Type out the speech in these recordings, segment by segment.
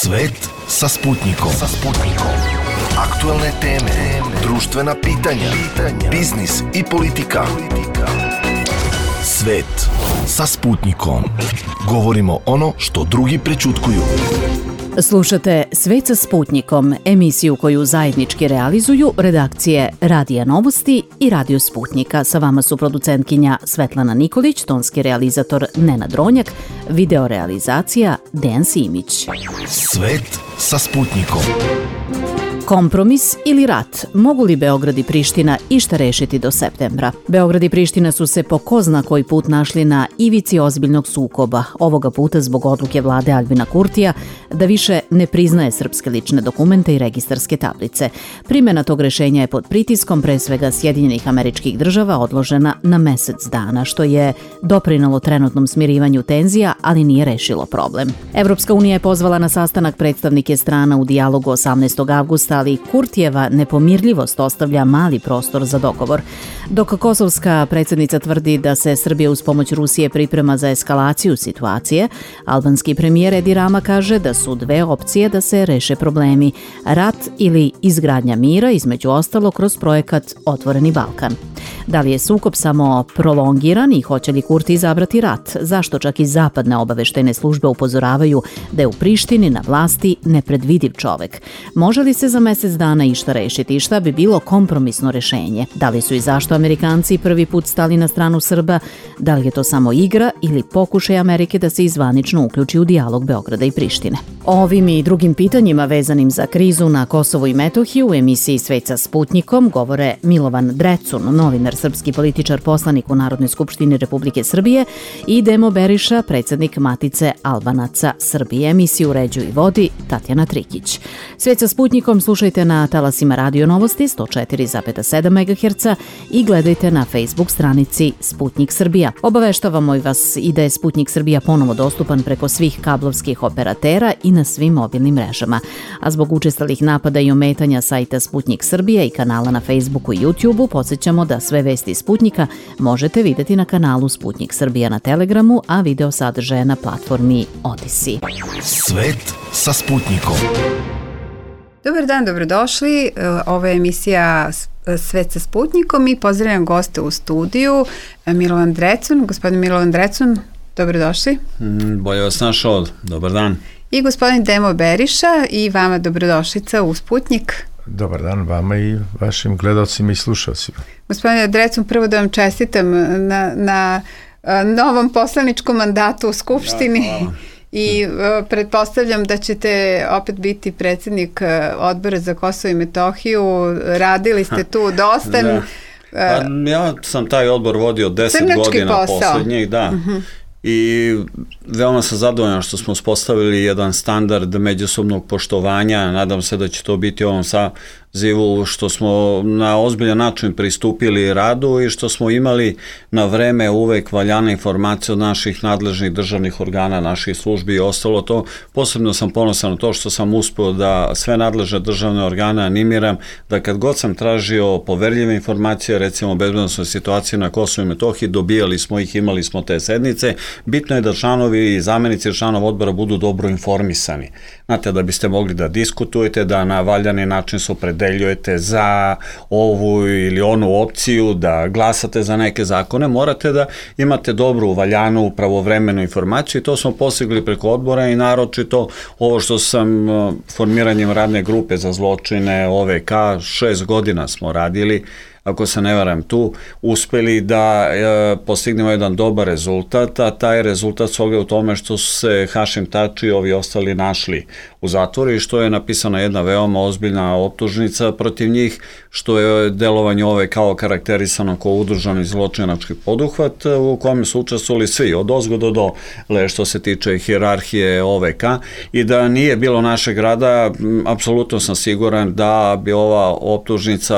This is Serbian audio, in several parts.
Svet sa Sputnikom. Aktuelne teme, društvena pitanja, biznis i politika. Svet sa Sputnikom. Govorimo ono što drugi prećutkuju. Slušate Svet sa Sputnikom, emisiju koju zajednički realizuju redakcije Radija Novosti i Radio Sputnika. Sa vama su producentkinja Svetlana Nikolić, tonski realizator Nenad Ronjak, video realizacija Dejan Simić. Svet sa Sputnikom. Kompromis ili rat? Mogu li Beograd i Priština išta rešiti do septembra? Beograd i Priština su se po ko zna koji put našli na ivici ozbiljnog sukoba, ovoga puta zbog odluke vlade Aljbina Kurtija da više ne priznaje srpske lične dokumente i registarske tablice. Primjena tog rešenja je pod pritiskom pre svega Sjedinjenih Američkih Država odložena na mesec dana, što je doprinelo trenutnom smirivanju tenzija, ali nije rešilo problem. Evropska unija je pozvala na sastanak predstavnike strana u dijalogu 18. avgusta, ali Kurtijeva nepomirljivost ostavlja mali prostor za dogovor. Dok kosovska predsjednica tvrdi da se Srbija uz pomoć Rusije priprema za eskalaciju situacije, albanski premijer Edi Rama kaže da su dve opcije da se reše problemi: rat ili izgradnja mira, između ostalo kroz projekat Otvoreni Balkan. Da li je sukob samo prolongiran i hoće li Kurti izabrati rat? Zašto čak i zapadne obaveštajne službe upozoravaju da je u Prištini na vlasti nepredvidiv čovek? Može li se za mesec dana išta rešiti i šta bi bilo kompromisno rešenje? Da li su i zašto Amerikanci prvi put stali na stranu Srba? Da li je to samo igra ili pokušaj Amerike da se izvanično uključi u dijalog Beograda i Prištine? O ovim i drugim pitanjima vezanim za krizu na Kosovu i Metohiji u emisiji Svet sa Sputnikom govore Milovan Drecun, novinar, srpski političar, poslanik u Narodnoj skupštini Republike Srbije, i Demo Beriša, predsjednik Matice Albanaca Srbije. Emisiju uređuje i vodi Tatjana Trikić. Svet sa Sputnikom slušajte na talasima Radio Novosti 104,7 MHz i gledajte na Facebook stranici Sputnik Srbija. Obaveštavamo i vas i da je Sputnik Srbija ponovo dostupan preko svih kablovskih operatera i na svim mobilnim mrežama. A zbog učestalih napada i ometanja sajta Sputnik Srbija i kanala na Facebooku i YouTubeu, podsjećamo da sve vesti Sputnika možete vidjeti na kanalu Sputnik Srbija na Telegramu, a video sadržaje na platformi Odyssey. Svet sa Sputnikom. Dobar dan, dobrodošli. Ovo je emisija Svet sa Sputnikom i pozdravljam goste u studiju. Milovan Drecun. Gospodin Milovan Drecun, dobrodošli. Bolje vas našao, dobar dan. I gospodin Demo Beriša, i vama dobrodošlica u Sputnik. Dobar dan vama i vašim gledalcima i slušalcima. Gospodine Drecun, prvo da vam čestitam na novom poslaničkom mandatu u Skupštini. Da, i pretpostavljam da ćete opet biti predsjednik odbora za Kosovo i Metohiju. Radili ste tu dosta. Ja sam taj odbor vodio 10 godina posljednjih, da. I veoma sam zadovoljan što smo uspostavili jedan standard međusobnog poštovanja. Nadam se da će to biti u ovom sazivu, što smo na ozbiljan način pristupili radu i što smo imali na vreme uvek valjane informacije od naših nadležnih državnih organa, naših službi i ostalo to. Posebno sam ponosan na to što sam uspio da sve nadležne državne organe animiram da kad god sam tražio poverljive informacije, recimo o bezbednosnoj situaciji na Kosovu i Metohiji, dobijali smo ih, imali smo te sednice. Bitno je da članovi i zamenici članova odbora budu dobro informisani. Znate, da biste mogli da diskutujete, da na valjani način se opredeljujete za ovu ili onu opciju, da glasate za neke zakone, morate da imate dobru, valjanu, pravovremenu informaciju i to smo postigli preko odbora i naročito ovo što sam formiranjem radne grupe za zločine OVK, 6 godina smo radili, ako se ne varam tu, uspeli da postignemo jedan dobar rezultat, a taj rezultat se ogleda u tome što su se Hašim Tači i ovi ostali našli u zatvoru i što je napisana jedna veoma ozbiljna optužnica protiv njih, što je delovanje ove kao karakterisano kao udruženi zločinački poduhvat u kojem su učestvovali svi, od ozgo do dole, što se tiče hijerarhije OVK, i da nije bilo našeg rada, apsolutno sam siguran da bi ova optužnica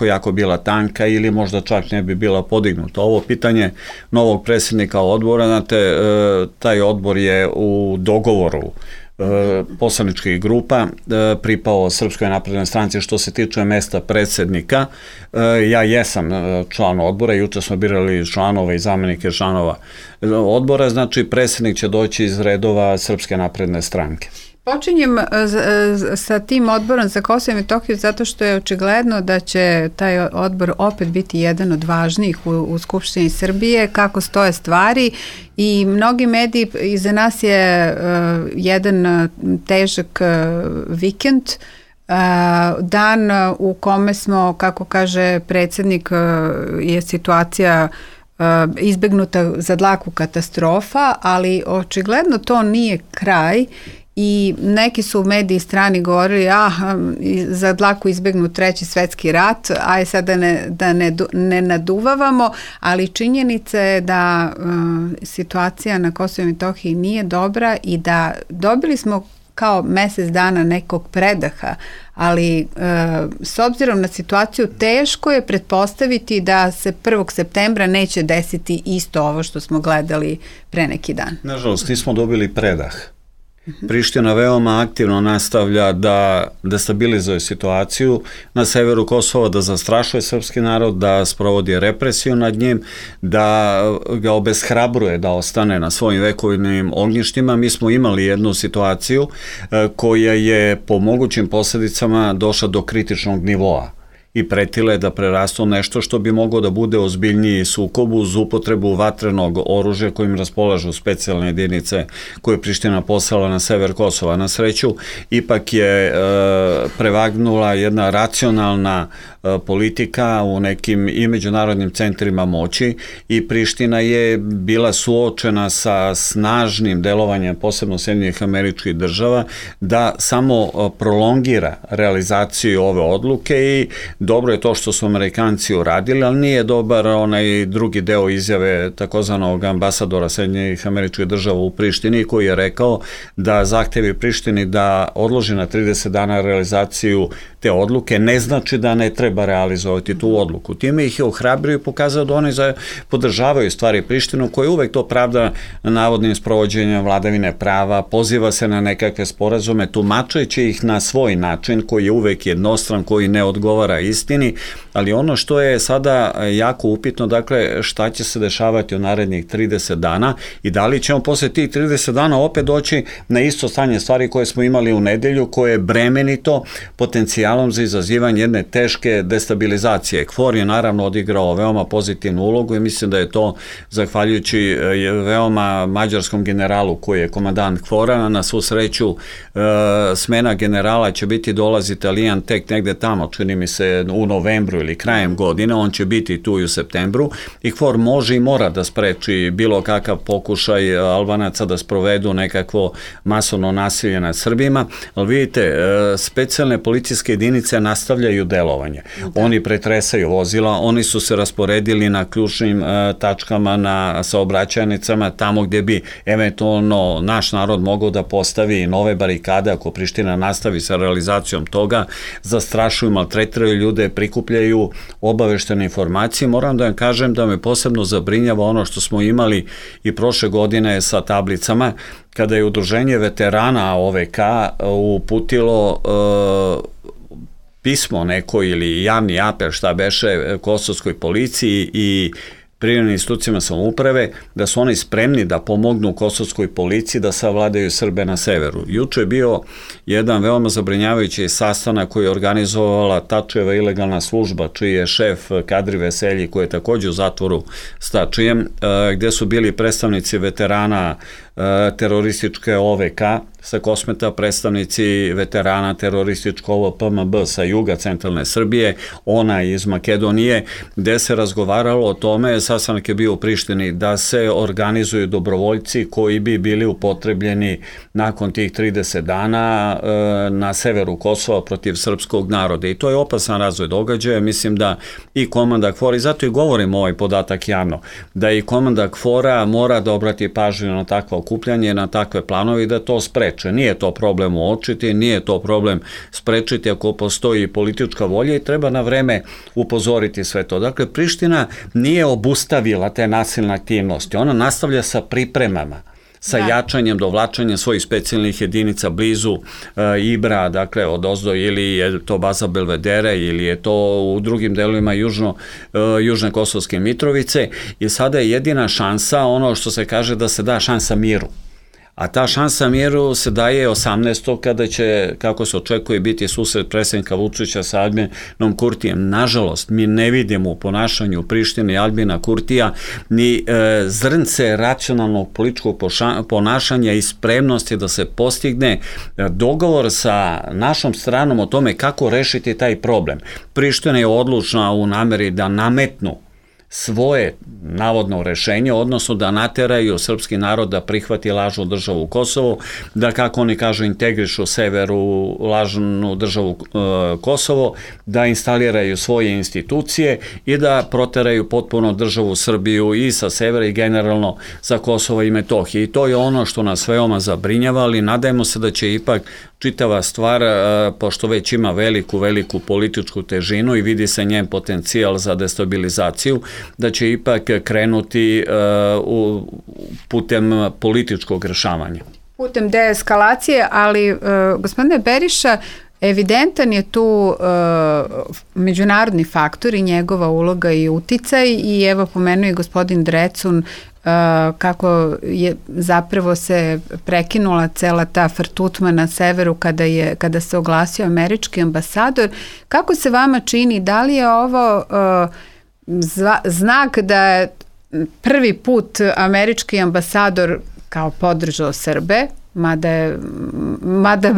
jako bila tanka ili možda čak ne bi bila podignuta. Ovo pitanje novog predsjednika odbora, znate, taj odbor je u dogovoru poslaničkih grupa pripao Srpskoj naprednoj stranci što se tiče mesta predsjednika. Ja jesam član odbora, juče smo birali članova i zamenike članova odbora, znači predsjednik će doći iz redova Srpske napredne stranke. Počinjem sa tim odborom za Kosovo i Metohiju zato što je očigledno da će taj odbor opet biti jedan od važnijih u Skupštini Srbije, kako stoje stvari i mnogi mediji, iza nas je jedan težak vikend, dan u kome smo, kako kaže predsjednik, je situacija izbegnuta za dlaku katastrofa, ali očigledno to nije kraj i neki su u mediji strani govorili za dlaku izbegnut treći svetski rat, aj sad da ne naduvavamo, ali činjenica je da situacija na Kosovu i Metohiji nije dobra i da dobili smo kao mjesec dana nekog predaha, ali s obzirom na situaciju teško je pretpostaviti da se 1. septembra neće desiti isto ovo što smo gledali pre neki dan. Nažalost, nismo dobili predah. Priština veoma aktivno nastavlja da destabilizuje situaciju na severu Kosova, da zastrašuje srpski narod, da sprovodi represiju nad njim, da ga obeshrabruje da ostane na svojim vekovnim ognjištima. Mi smo imali jednu situaciju koja je po mogućim posljedicama došla do kritičnog nivoa i pretile da prerastu nešto što bi moglo da bude ozbiljniji sukob uz upotrebu vatrenog oružja kojim raspolažu specijalne jedinice koje je Priština poslala na sever Kosova. Na sreću, ipak je prevagnula jedna racionalna politika u nekim i međunarodnim centrima moći i Priština je bila suočena sa snažnim delovanjem, posebno Sjedinjenih Američkih Država, da samo prolongira realizaciju ove odluke i dobro je to što su Amerikanci uradili, ali nije dobar onaj drugi deo izjave takozvanog ambasadora Sjedinjenih Američkih Država u Prištini koji je rekao da zahtevi Prištini da odloži na 30 dana realizaciju te odluke ne znači da ne treba realizovati tu odluku. Time ih je ohrabrio i pokazao da oni podržavaju stvari Prištinu koja uvek to pravda navodnim sprovođenjem vladavine prava, poziva se na nekakve sporazume, tumačeći ih na svoj način koji je uvek jednostran, koji ne odgovara istini, ali ono što je sada jako upitno, dakle, šta će se dešavati u narednih 30 dana i da li ćemo posle tih 30 dana opet doći na isto stanje stvari koje smo imali u nedelju, koje je bremenito potencijalom za izazivanje jedne teške destabilizacije. KFOR je naravno odigrao veoma pozitivnu ulogu i mislim da je to zahvaljujući veoma mađarskom generalu koji je komandant KFOR-a. Na svu sreću smena generala će biti dolazi Italijan tek negde tamo, čini mi se u novembru ili krajem godine, on će biti tu i u septembru i KFOR može i mora da spreči bilo kakav pokušaj Albanaca da sprovedu nekakvo masovno nasilje nad Srbima, ali vidite, specijalne policijske jedinice nastavljaju delovanje. Oni pretresaju vozila, oni su se rasporedili na ključnim tačkama, na saobraćajnicama, tamo gdje bi eventualno naš narod mogao da postavi nove barikade ako Priština nastavi sa realizacijom toga, zastrašuju, maltretiraju ljude, prikupljaju obaveštene informacije. Moram da vam kažem da me posebno zabrinjava ono što smo imali i prošle godine sa tablicama, kada je Udruženje veterana OVK uputilo pismo neko ili javni apel šta beše kosovskoj policiji i privremenim institucijama samouprave, da su oni spremni da pomognu kosovskoj policiji da savladaju Srbe na severu. Juče je bio jedan veoma zabrinjavajući sastanak koji je organizovala Tačijeva ilegalna služba, čiji je šef Kadri Veselji, koji je također u zatvoru s Tačijem, gde su bili predstavnici veterana terorističke OVK sa Kosmeta, predstavnici veterana terorističkog PMB sa juga centralne Srbije, ona iz Makedonije, gde se razgovaralo o tome, sastanak je bio u Prištini, da se organizuju dobrovoljci koji bi bili upotrebljeni nakon tih 30 dana na severu Kosova protiv srpskog naroda. I to je opasan razvoj događaja. Mislim da i komanda KFOR, i zato i govorim ovaj podatak javno, da i komanda KFOR-a mora da obrati pažnju na takva okupljanje, na takve planove i da to spreče. Nije to problem uočiti, nije to problem sprečiti ako postoji politička volja i treba na vreme upozoriti sve to. Dakle, Priština nije obustavila te nasilne aktivnosti, ona nastavlja sa pripremama, sa jačanjem, dovlačanjem svojih specijalnih jedinica blizu Ibra, dakle od ozdo, ili je to baza Belvedere ili je to u drugim delovima južne Kosovske Mitrovice i sada je jedina šansa, ono što se kaže da se da šansa miru. A ta šansa miru se daje 18. kada će, kako se očekuje, biti susret predsjednika Vučića sa Albinem Kurtijem. Nažalost, mi ne vidimo u ponašanju Prištine i Albina Kurtija ni zrnce racionalnog političkog ponašanja i spremnosti da se postigne dogovor sa našom stranom o tome kako rešiti taj problem. Priština je odlučna u nameri da nametnu svoje navodno rešenje, odnosno da nateraju srpski narod da prihvati lažnu državu Kosovo, da, kako oni kažu, integrišu sever u lažnu državu Kosovo, da instaliraju svoje institucije i da proteraju potpuno državu Srbiju i sa severa i generalno sa Kosova i Metohije. I to je ono što nas veoma zabrinjava, ali nadajmo se da će ipak čitava stvar, pošto već ima veliku političku težinu i vidi se njen potencijal za destabilizaciju, da će ipak krenuti putem političkog rešavanja. Putem deeskalacije, ali gospodine Beriša, evidentan je tu međunarodni faktor i njegova uloga i uticaj i evo pomenuo i gospodin Drecun kako je zapravo se prekinula cela ta frtutma na severu kada se oglasio američki ambasador. Kako se vama čini, da li je ovo znak da je prvi put američki ambasador kao podržao Srbe, mada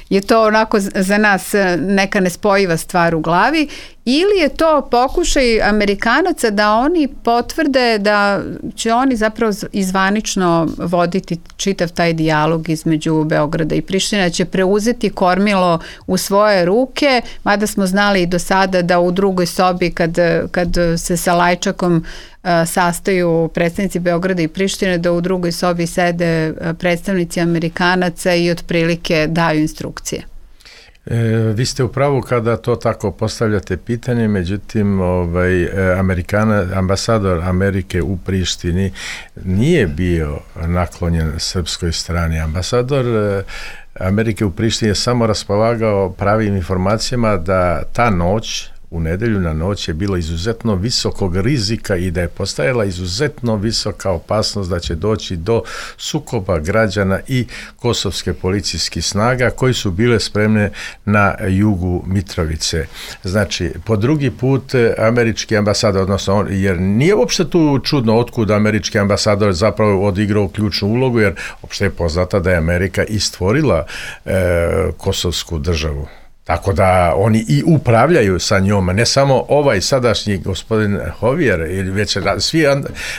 je to onako za nas neka nespojiva stvar u glavi, ili je to pokušaj Amerikanaca da oni potvrde da će oni zapravo izvanično voditi čitav taj dijalog između Beograda i Prištine, da će preuzeti kormilo u svoje ruke, mada smo znali i do sada da u drugoj sobi kad se sa Lajčakom sastaju predstavnici Beograda i Prištine, da u drugoj sobi sede predstavnici Amerikanaca i otprilike daju instrukcije. Vi ste u pravu kada to tako postavljate pitanje, međutim ambasador Amerike u Prištini nije bio naklonjen srpskoj strani. Ambasador Amerike u Prištini je samo raspolagao pravim informacijama da ta noć, u nedelju na noć, je bilo izuzetno visokog rizika i da je postajala izuzetno visoka opasnost da će doći do sukoba građana i kosovske policijskih snaga koji su bile spremne na jugu Mitrovice. Znači, po drugi put američki ambasador, odnosno jer nije uopšte tu čudno otkud američki ambasador zapravo odigrao ključnu ulogu, jer uopšte je poznata da je Amerika i stvorila kosovsku državu. Tako da oni i upravljaju sa njom, ne samo ovaj sadašnji gospodin Hovijer, ili već svi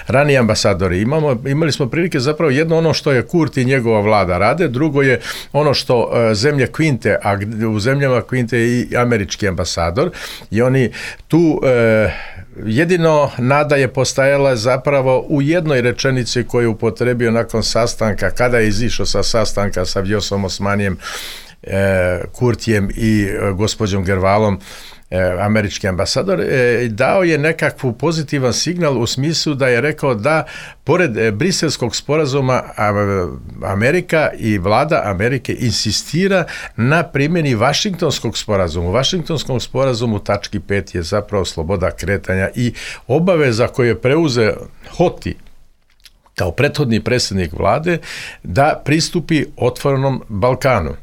raniji ambasadori. Imali smo prilike zapravo jedno ono što je Kurti i njegova vlada rade, drugo je ono što zemlje Kvinte, a u zemljama Kvinte je i američki ambasador, i oni tu jedino nada je postajala zapravo u jednoj rečenici koju je upotrebio nakon sastanka, kada je izišao sa sastanka sa Vjosom Osmanijem, Kurtijem i gospođom Gervalom, američki ambasador, dao je nekakvu pozitivan signal u smislu da je rekao da pored Briselskog sporazuma Amerika i vlada Amerike insistira na primjeni Vašingtonskog sporazuma. U Vašingtonskom sporazumu tački 5 je zapravo sloboda kretanja i obaveza koju je preuzeo Hoti kao prethodni predsjednik vlade da pristupi otvorenom Balkanu.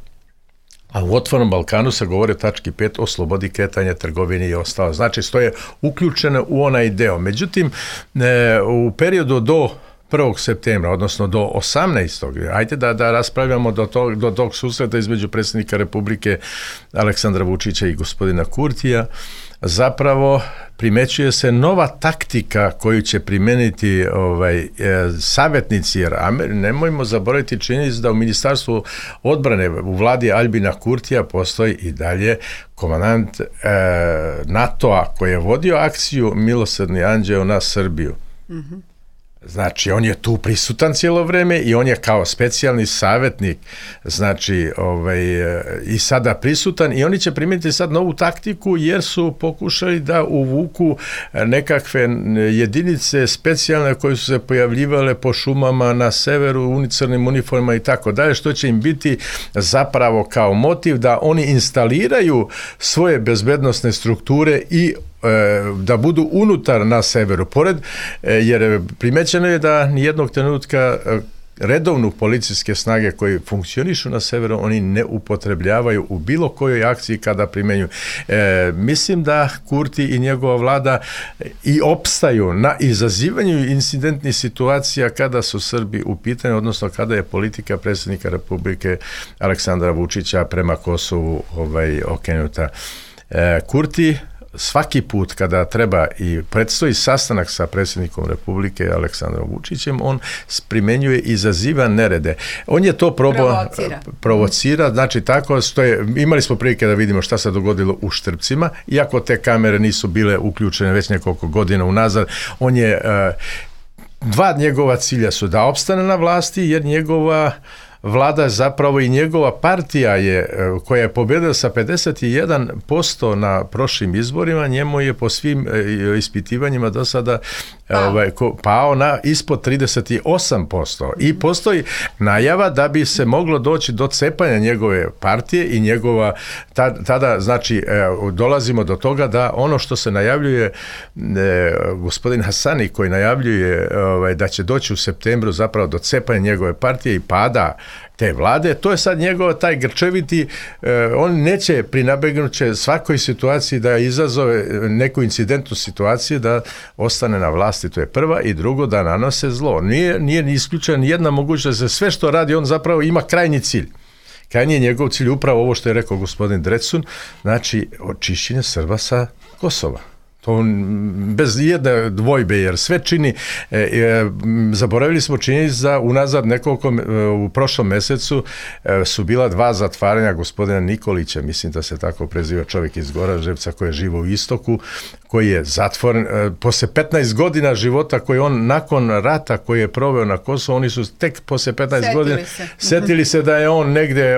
A u otvorenom Balkanu se govori o tački 5 o slobodi kretanja, trgovini i ostalo. Znači, to je uključeno u onaj deo. Međutim, u periodu do 1. septembra, odnosno do 18. Ajde da raspravljamo do tog susreta između predsjednika Republike Aleksandra Vučića i gospodina Kurtija. Zapravo primećuje se nova taktika koju će primeniti savjetnici, jer nemojmo zaboraviti činjenicu da u Ministarstvu odbrane u vladi Albina Kurtija postoji i dalje komandant NATO-a koji je vodio akciju Milosrdni anđeo na Srbiju. Mm-hmm. Znači, on je tu prisutan cijelo vreme i on je kao specijalni savjetnik, znači, i sada prisutan, i oni će primijeniti sad novu taktiku jer su pokušali da uvuku nekakve jedinice specijalne koje su se pojavljivale po šumama na severu, u crnim uniformama i tako dalje, što će im biti zapravo kao motiv da oni instaliraju svoje bezbednosne strukture i da budu unutar na severu. Jer primećeno je da nijednog trenutka redovnu policijske snage koji funkcionišu na severu, oni ne upotrebljavaju u bilo kojoj akciji kada primenjuju. Mislim da Kurti i njegova vlada i opstaju na izazivanju incidentnih situacija kada su Srbi u pitanju, odnosno kada je politika predsjednika Republike Aleksandra Vučića prema Kosovu okrenuta. Kurti svaki put kada treba i predstoji sastanak sa predsjednikom Republike Aleksandrom Vučićem, on primenjuje i izaziva nerede. On je to provocira, znači tako što je, imali smo prilike da vidimo šta se dogodilo u Štrpcima, iako te kamere nisu bile uključene već nekoliko godina unazad, on je, dva njegova cilja su da opstane na vlasti, jer njegova vlada zapravo i njegova partija je, koja je pobjedila sa 51% na prošlim izborima, njemu je po svim ispitivanjima do sada pao na ispod 38%. I postoji najava da bi se moglo doći do cepanja njegove partije i njegova, tada znači dolazimo do toga da ono što se najavljuje gospodin Hasani koji najavljuje da će doći u septembru zapravo do cepanja njegove partije i pada te vlade, to je sad njegov taj grčeviti, on neće prinabegnuće svakoj situaciji da izazove neku incidentnu situaciju da ostane na vlasti, to je prva, i drugo da nanose zlo. Nije ni isključena ni jedna mogućnost da se sve što radi, on zapravo ima krajnji cilj. Krajnji je njegov cilj upravo ovo što je rekao gospodin Drecun, znači očišćenje Srba sa Kosova. To bez jedne dvojbe, jer sve čini, zaboravili smo činjenicu da unazad nekoliko, u prošlom mesecu su bila 2 zatvaranja gospodina Nikolića, mislim da se tako preziva čovjek iz Goraždevca koji je živo u istoku, koji je zatvoren, posle 15 godina života koji on nakon rata koji je proveo na Kosovu, oni su tek posle 15 godina setili se da je on negde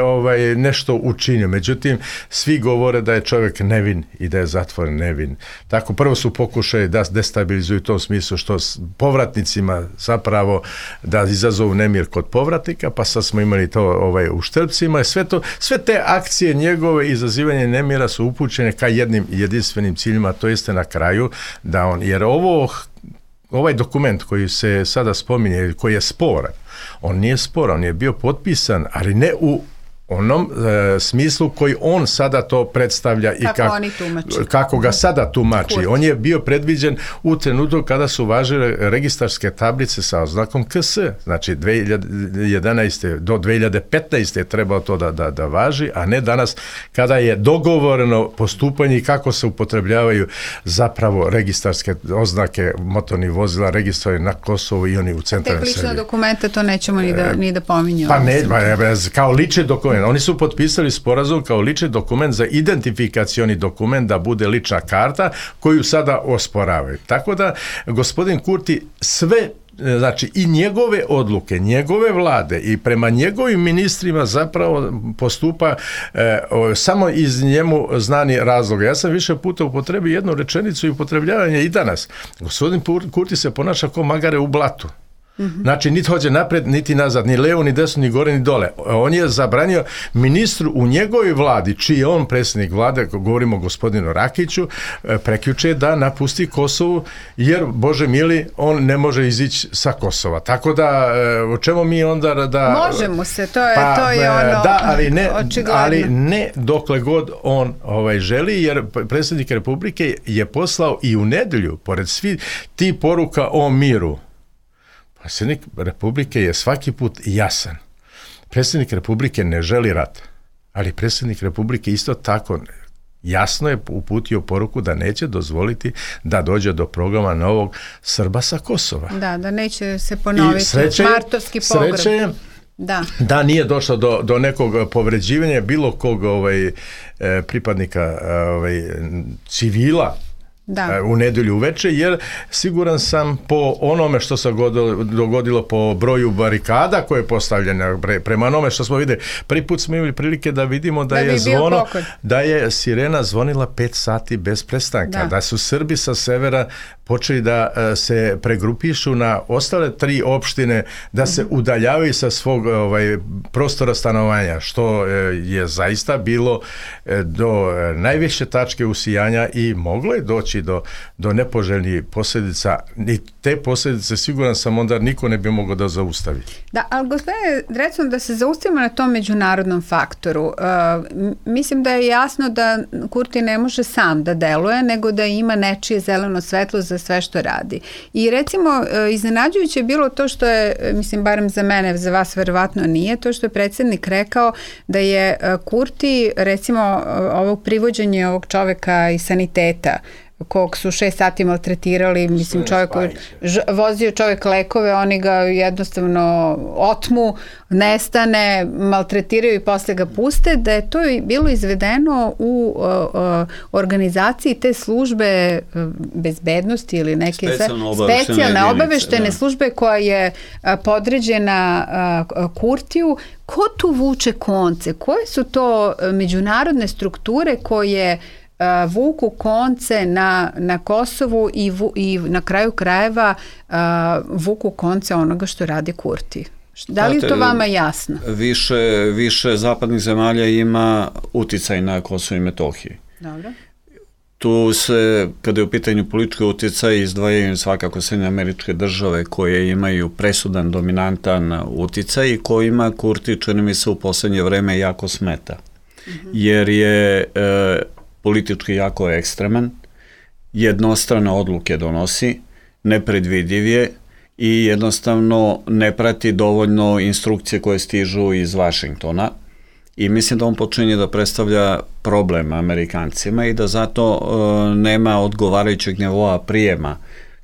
nešto učinio. Međutim, svi govore da je čovjek nevin i da je zatvoren nevin. Tako prvo su pokušali da destabilizuju u tom smislu što povratnicima zapravo da izazovu nemir kod povratnika, pa sad smo imali to u Štrpcima. Sve te akcije njegove izazivanje nemira su upućene ka jednim jedinstvenim ciljima, to jeste na kraju da on, jer ovaj dokument koji se sada spominje, koji je sporan, on nije sporan, on je bio potpisan, ali ne u onom smislu koji on sada to predstavlja i kako ga sada tumači. On je bio predviđen u trenutku kada su važile registarske tablice sa oznakom KS. Znači 2011. do 2015. je trebalo to da važi, a ne danas kada je dogovoreno postupanje i kako se upotrebljavaju zapravo registarske oznake motornih vozila registrovane na Kosovu i oni u centralnoj Srbiji. Tek lična dokumenta to nećemo ni da pominjamo. Pa ne, kao lični dokument. Oni su potpisali sporazum kao lični dokument za identifikacioni dokument da bude lična karta koju sada osporavaju. Tako da gospodin Kurti sve, znači i njegove odluke, njegove vlade i prema njegovim ministrima zapravo postupa samo iz njemu znani razloga. Ja sam više puta upotrebio jednu rečenicu i upotrebljavanje i danas. Gospodin Kurti se ponaša kao magare u blatu. Znači, niti hođe napred, niti nazad, ni levo, ni desno, ni gore, ni dole. On je zabranio ministru u njegovoj vladi, čiji je on predsjednik vlade, govorimo o gospodinu Rakiću, prekjuče da napusti Kosovu, jer, Bože mili, on ne može izići sa Kosova. Tako da, o čemu mi onda da... Možemo se, to je ono... Da, ali ne dokle god on želi, jer predsjednik Republike je poslao i u nedelju, pored svi ti poruka o miru. Predsjednik Republike je svaki put jasan. Predsjednik Republike ne želi rat, ali predsjednik Republike isto tako jasno je uputio poruku da neće dozvoliti da dođe do programa novog Srba sa Kosova. Da neće se ponoviti martovski pogrom. Sreće je da nije došlo do nekog povređivanja bilo kog pripadnika civila u nedelju uveče, jer siguran sam po onome što se dogodilo po broju barikada koje je postavljeno, prema onome što smo vidjeli, prvi put smo imali prilike da vidimo da je sirena zvonila 5 sati bez prestanka, da su Srbi sa severa počeli da se pregrupišu na ostale 3 opštine, da se udaljavaju sa svog prostora stanovanja, što je zaista bilo do najviše tačke usijanja i moglo je doći doći do nepoželjnih posljedica, ni te posljedice siguran sam onda niko ne bi mogao da zaustavi. Da, ali gospodine Drecun, da se zaustavimo na tom međunarodnom faktoru. Mislim da je jasno da Kurti ne može sam da deluje, nego da ima nečije zeleno svetlo za sve što radi. I recimo, iznenađujuće je bilo to što je, mislim, barem za mene, za vas verovatno nije, to što je predsjednik rekao da je Kurti, recimo, ovog privođenja ovog čoveka iz saniteta, kog su 6 sati maltretirali, mislim, vozio čovjek lekove, oni ga jednostavno otmu, nestane, maltretiraju i posle ga puste, da je to bilo izvedeno u organizaciji te službe bezbednosti ili neke specijalne obaveštene službe koja je podređena Kurtiju. Ko tu vuče konce? Koje su to međunarodne strukture koje vuku konce na Kosovu i na kraju krajeva vuku konce onoga što radi Kurti? Da li je to vama jasno? Više zapadnih zemalja ima uticaj na Kosovo i Metohiji. Dobro. Tu se, kada je u pitanju politički uticaj, izdvajaju svakako Sjedinjene Američke Države koje imaju presudan, dominantan uticaj i kojima Kurti, čini mi se, u poslednje vreme jako smeta. Jer je politički jako ekstreman, jednostrane odluke donosi, nepredvidiv je i jednostavno ne prati dovoljno instrukcije koje stižu iz Vašingtona i mislim da on počinje da predstavlja problem Amerikancima i da zato nema odgovarajućeg nivoa prijema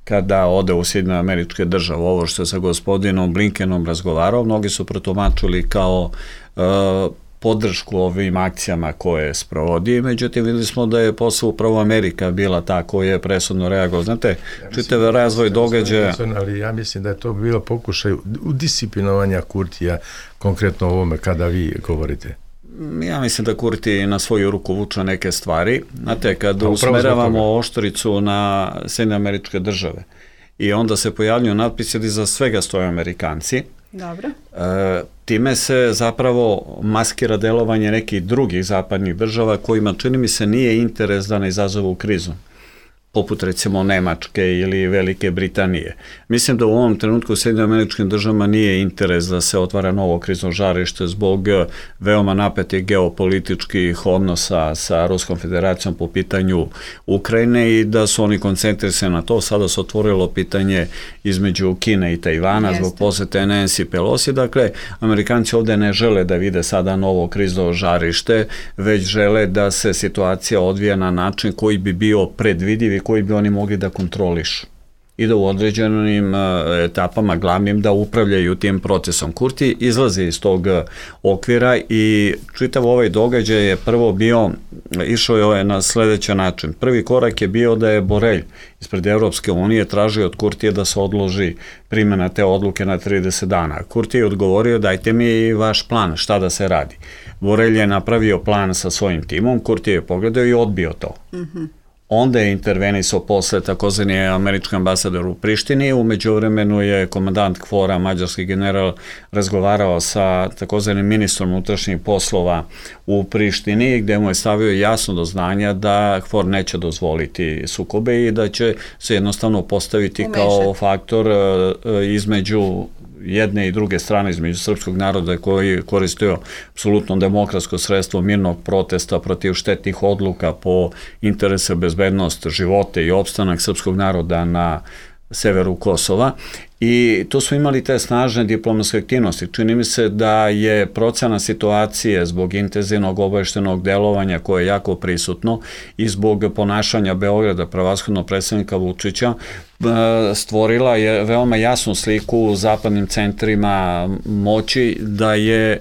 kada ode u Sjedinjene Američke Države. Ovo što je sa gospodinom Blinkenom razgovarao, mnogi su protumačili kao podršku ovim akcijama koje sprovodi, međutim videli smo da je posle upravo Amerika bila ta koja je presudno reagovala. Znate, čitav razvoj događaja... Ali ja mislim da je to bilo pokušaj udisciplinovanja Kurtija, konkretno o ovome kada vi govorite. Ja mislim da Kurti na svoju ruku vuče neke stvari. Znate, kad usmeravamo oštricu na Sjedinjene Američke Države i onda se pojavljuju natpisi da iza svega stoje Amerikanci. Dobro. Time se zapravo maskira delovanje nekih drugih zapadnih država kojima, čini mi se, nije interes da ne izazovu krizu, poput recimo Nemačke ili Velike Britanije. Mislim da u ovom trenutku u Sjedinjenim Američkim Državama nije interes da se otvara novo krizno žarište zbog veoma napetih geopolitičkih odnosa sa Ruskom federacijom po pitanju Ukrajine i da su oni koncentrisani na to. Sada se otvorilo pitanje između Kine i Tajvana zbog posete Nancy Pelosi. Dakle, Amerikanci ovde ne žele da vide sada novo krizno žarište, već žele da se situacija odvija na način koji bi bio predvidiv koji bi oni mogli da kontrolišu i da u određenim etapama glavnim da upravljaju tim procesom. Kurti izlazi iz tog okvira i čitav ovaj događaj je prvo bio, išao je na sledeći način. Prvi korak je bio da je Borelj ispred Evropske unije tražio od Kurtije da se odloži primjena te odluke na 30 dana. Kurti je odgovorio: dajte mi vaš plan, šta da se radi. Borelj je napravio plan sa svojim timom, Kurti je pogledao i odbio to. Onda je intervenisao posle takozvani američki ambasador u Prištini, u međuvremenu je komandant KFOR-a, mađarski general, razgovarao sa takozvanim ministrom unutrašnjih poslova u Prištini, gde mu je stavio jasno do znanja da KFOR neće dozvoliti sukobe i da će se jednostavno postaviti kao faktor između jedne i druge strane, između srpskog naroda koji koristio apsolutno demokratsko sredstvo mirnog protesta protiv štetnih odluka po interese bezbednost života i opstanak srpskog naroda na severu Kosova. I tu smo imali te snažne diplomatske aktivnosti. Čini mi se da je procena situacije zbog intenzivnog obaveštenog delovanja koje je jako prisutno i zbog ponašanja Beograda, prevashodno predsednika Vučića, stvorila je veoma jasnu sliku u zapadnim centrima moći da je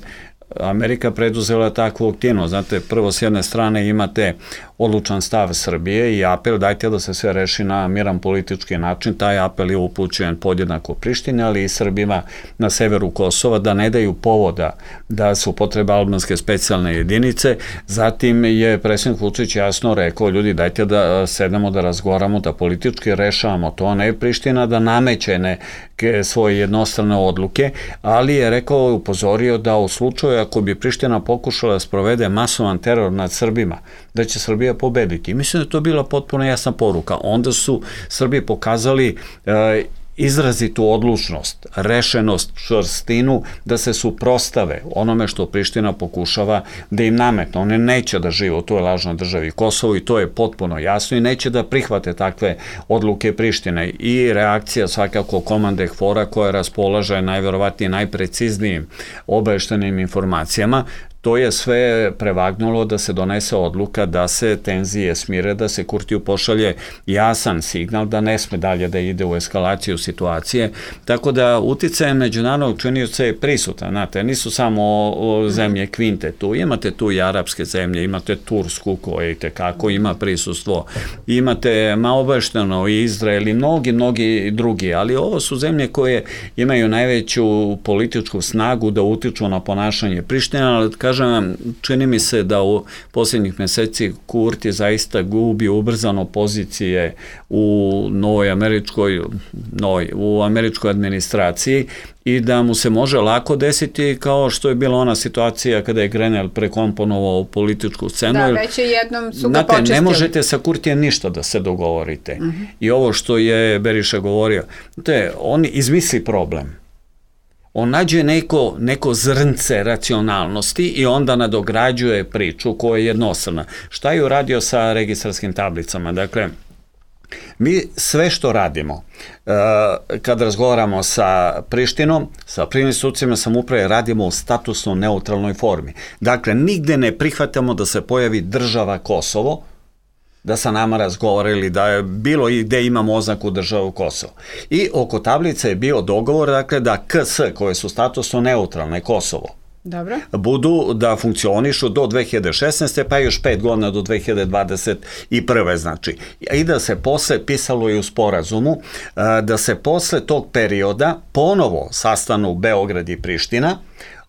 Amerika preduzela takvu aktivnost. Znate, prvo s jedne strane imate odlučan stav Srbije i apel dajte da se sve reši na miran politički način. Taj apel je upućen podjednako Prištini, ali i Srbima na severu Kosova da ne daju povoda da se upotrebe albanske specijalne jedinice. Zatim je predsjednik Vučić jasno rekao: ljudi, dajte da sedemo, da razgovaramo, da politički rešavamo to, ne Priština da nameće neke svoje jednostrane odluke, ali je rekao, upozorio da u slučaju slučaju ako bi Priština pokušala da sprovede masovan teror nad Srbima, da će Srbija pobediti. Mislim da je to bila potpuno jasna poruka. Onda su Srbi pokazali izrazitu odlučnost, rešenost, čvrstinu da se suprostave onome što Priština pokušava da im nametne. One neće da žive u toj lažnoj državi Kosovo i to je potpuno jasno i neće da prihvate takve odluke Prištine. I reakcija svakako komande KFOR-a koja raspolaže najverovatnije najpreciznijim obaveštenim informacijama. To je sve prevagnulo da se donese odluka da se tenzije smire, da se Kurtiju pošalje jasan signal da ne sme dalje da ide u eskalaciju situacije. Tako da uticajem međunarodnog činioca je prisutan. Znate, nisu samo zemlje kvinte tu. Imate tu i arapske zemlje, imate Tursku koja i tekako ima prisustvo. Imate obavješteno i Izrael i mnogi drugi. Ali ovo su zemlje koje imaju najveću političku snagu da utiču na ponašanje Prištine, ali kažem vam, čini mi se da u posljednjih meseci Kurti zaista gubi ubrzano pozicije u u američkoj administraciji i da mu se može lako desiti kao što je bila ona situacija kada je Grenell prekomponovao političku scenu. Da, već je jednom su ga počistili. Ne možete sa Kurtijem ništa da se dogovorite. I ovo što je Beriša govorio, on izmisli problem. On nađe neko zrnce racionalnosti i onda nadograđuje priču koja je jednostavna. Šta je uradio sa registarskim tablicama? Dakle, mi sve što radimo, kad razgovaramo sa Prištinom, sa prvim institucijama samouprave, radimo u statusno neutralnoj formi. Dakle, nigde ne prihvatamo da se pojavi država Kosovo, da sa nama razgovarali, da je bilo i gde imamo oznaku državu Kosovo. I oko tablice je bio dogovor, dakle, da KS, koje su statusno neutralne Kosovo, budu da funkcionišu do 2016. pa još 5 godina do 2021. znači. I da se posle, pisalo i u sporazumu, da se posle tog perioda ponovo sastanu Beograd i Priština,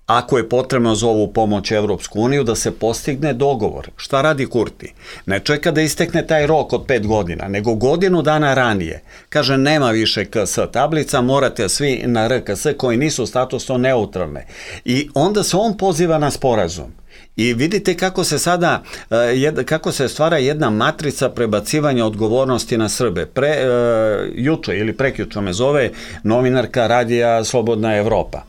ako je potrebno za ovu pomoć Evropsku uniju, da se postigne dogovor. Šta radi Kurti? Ne čeka da istekne taj rok od 5 godina, nego godinu dana ranije. Kaže, nema više KS tablica, morate svi na RKS koji nisu statusno neutralne. I onda se on poziva na sporazum. I vidite kako se stvara jedna matrica prebacivanja odgovornosti na Srbe. Juče ili prekjuče me zove novinarka radija Slobodna Evropa.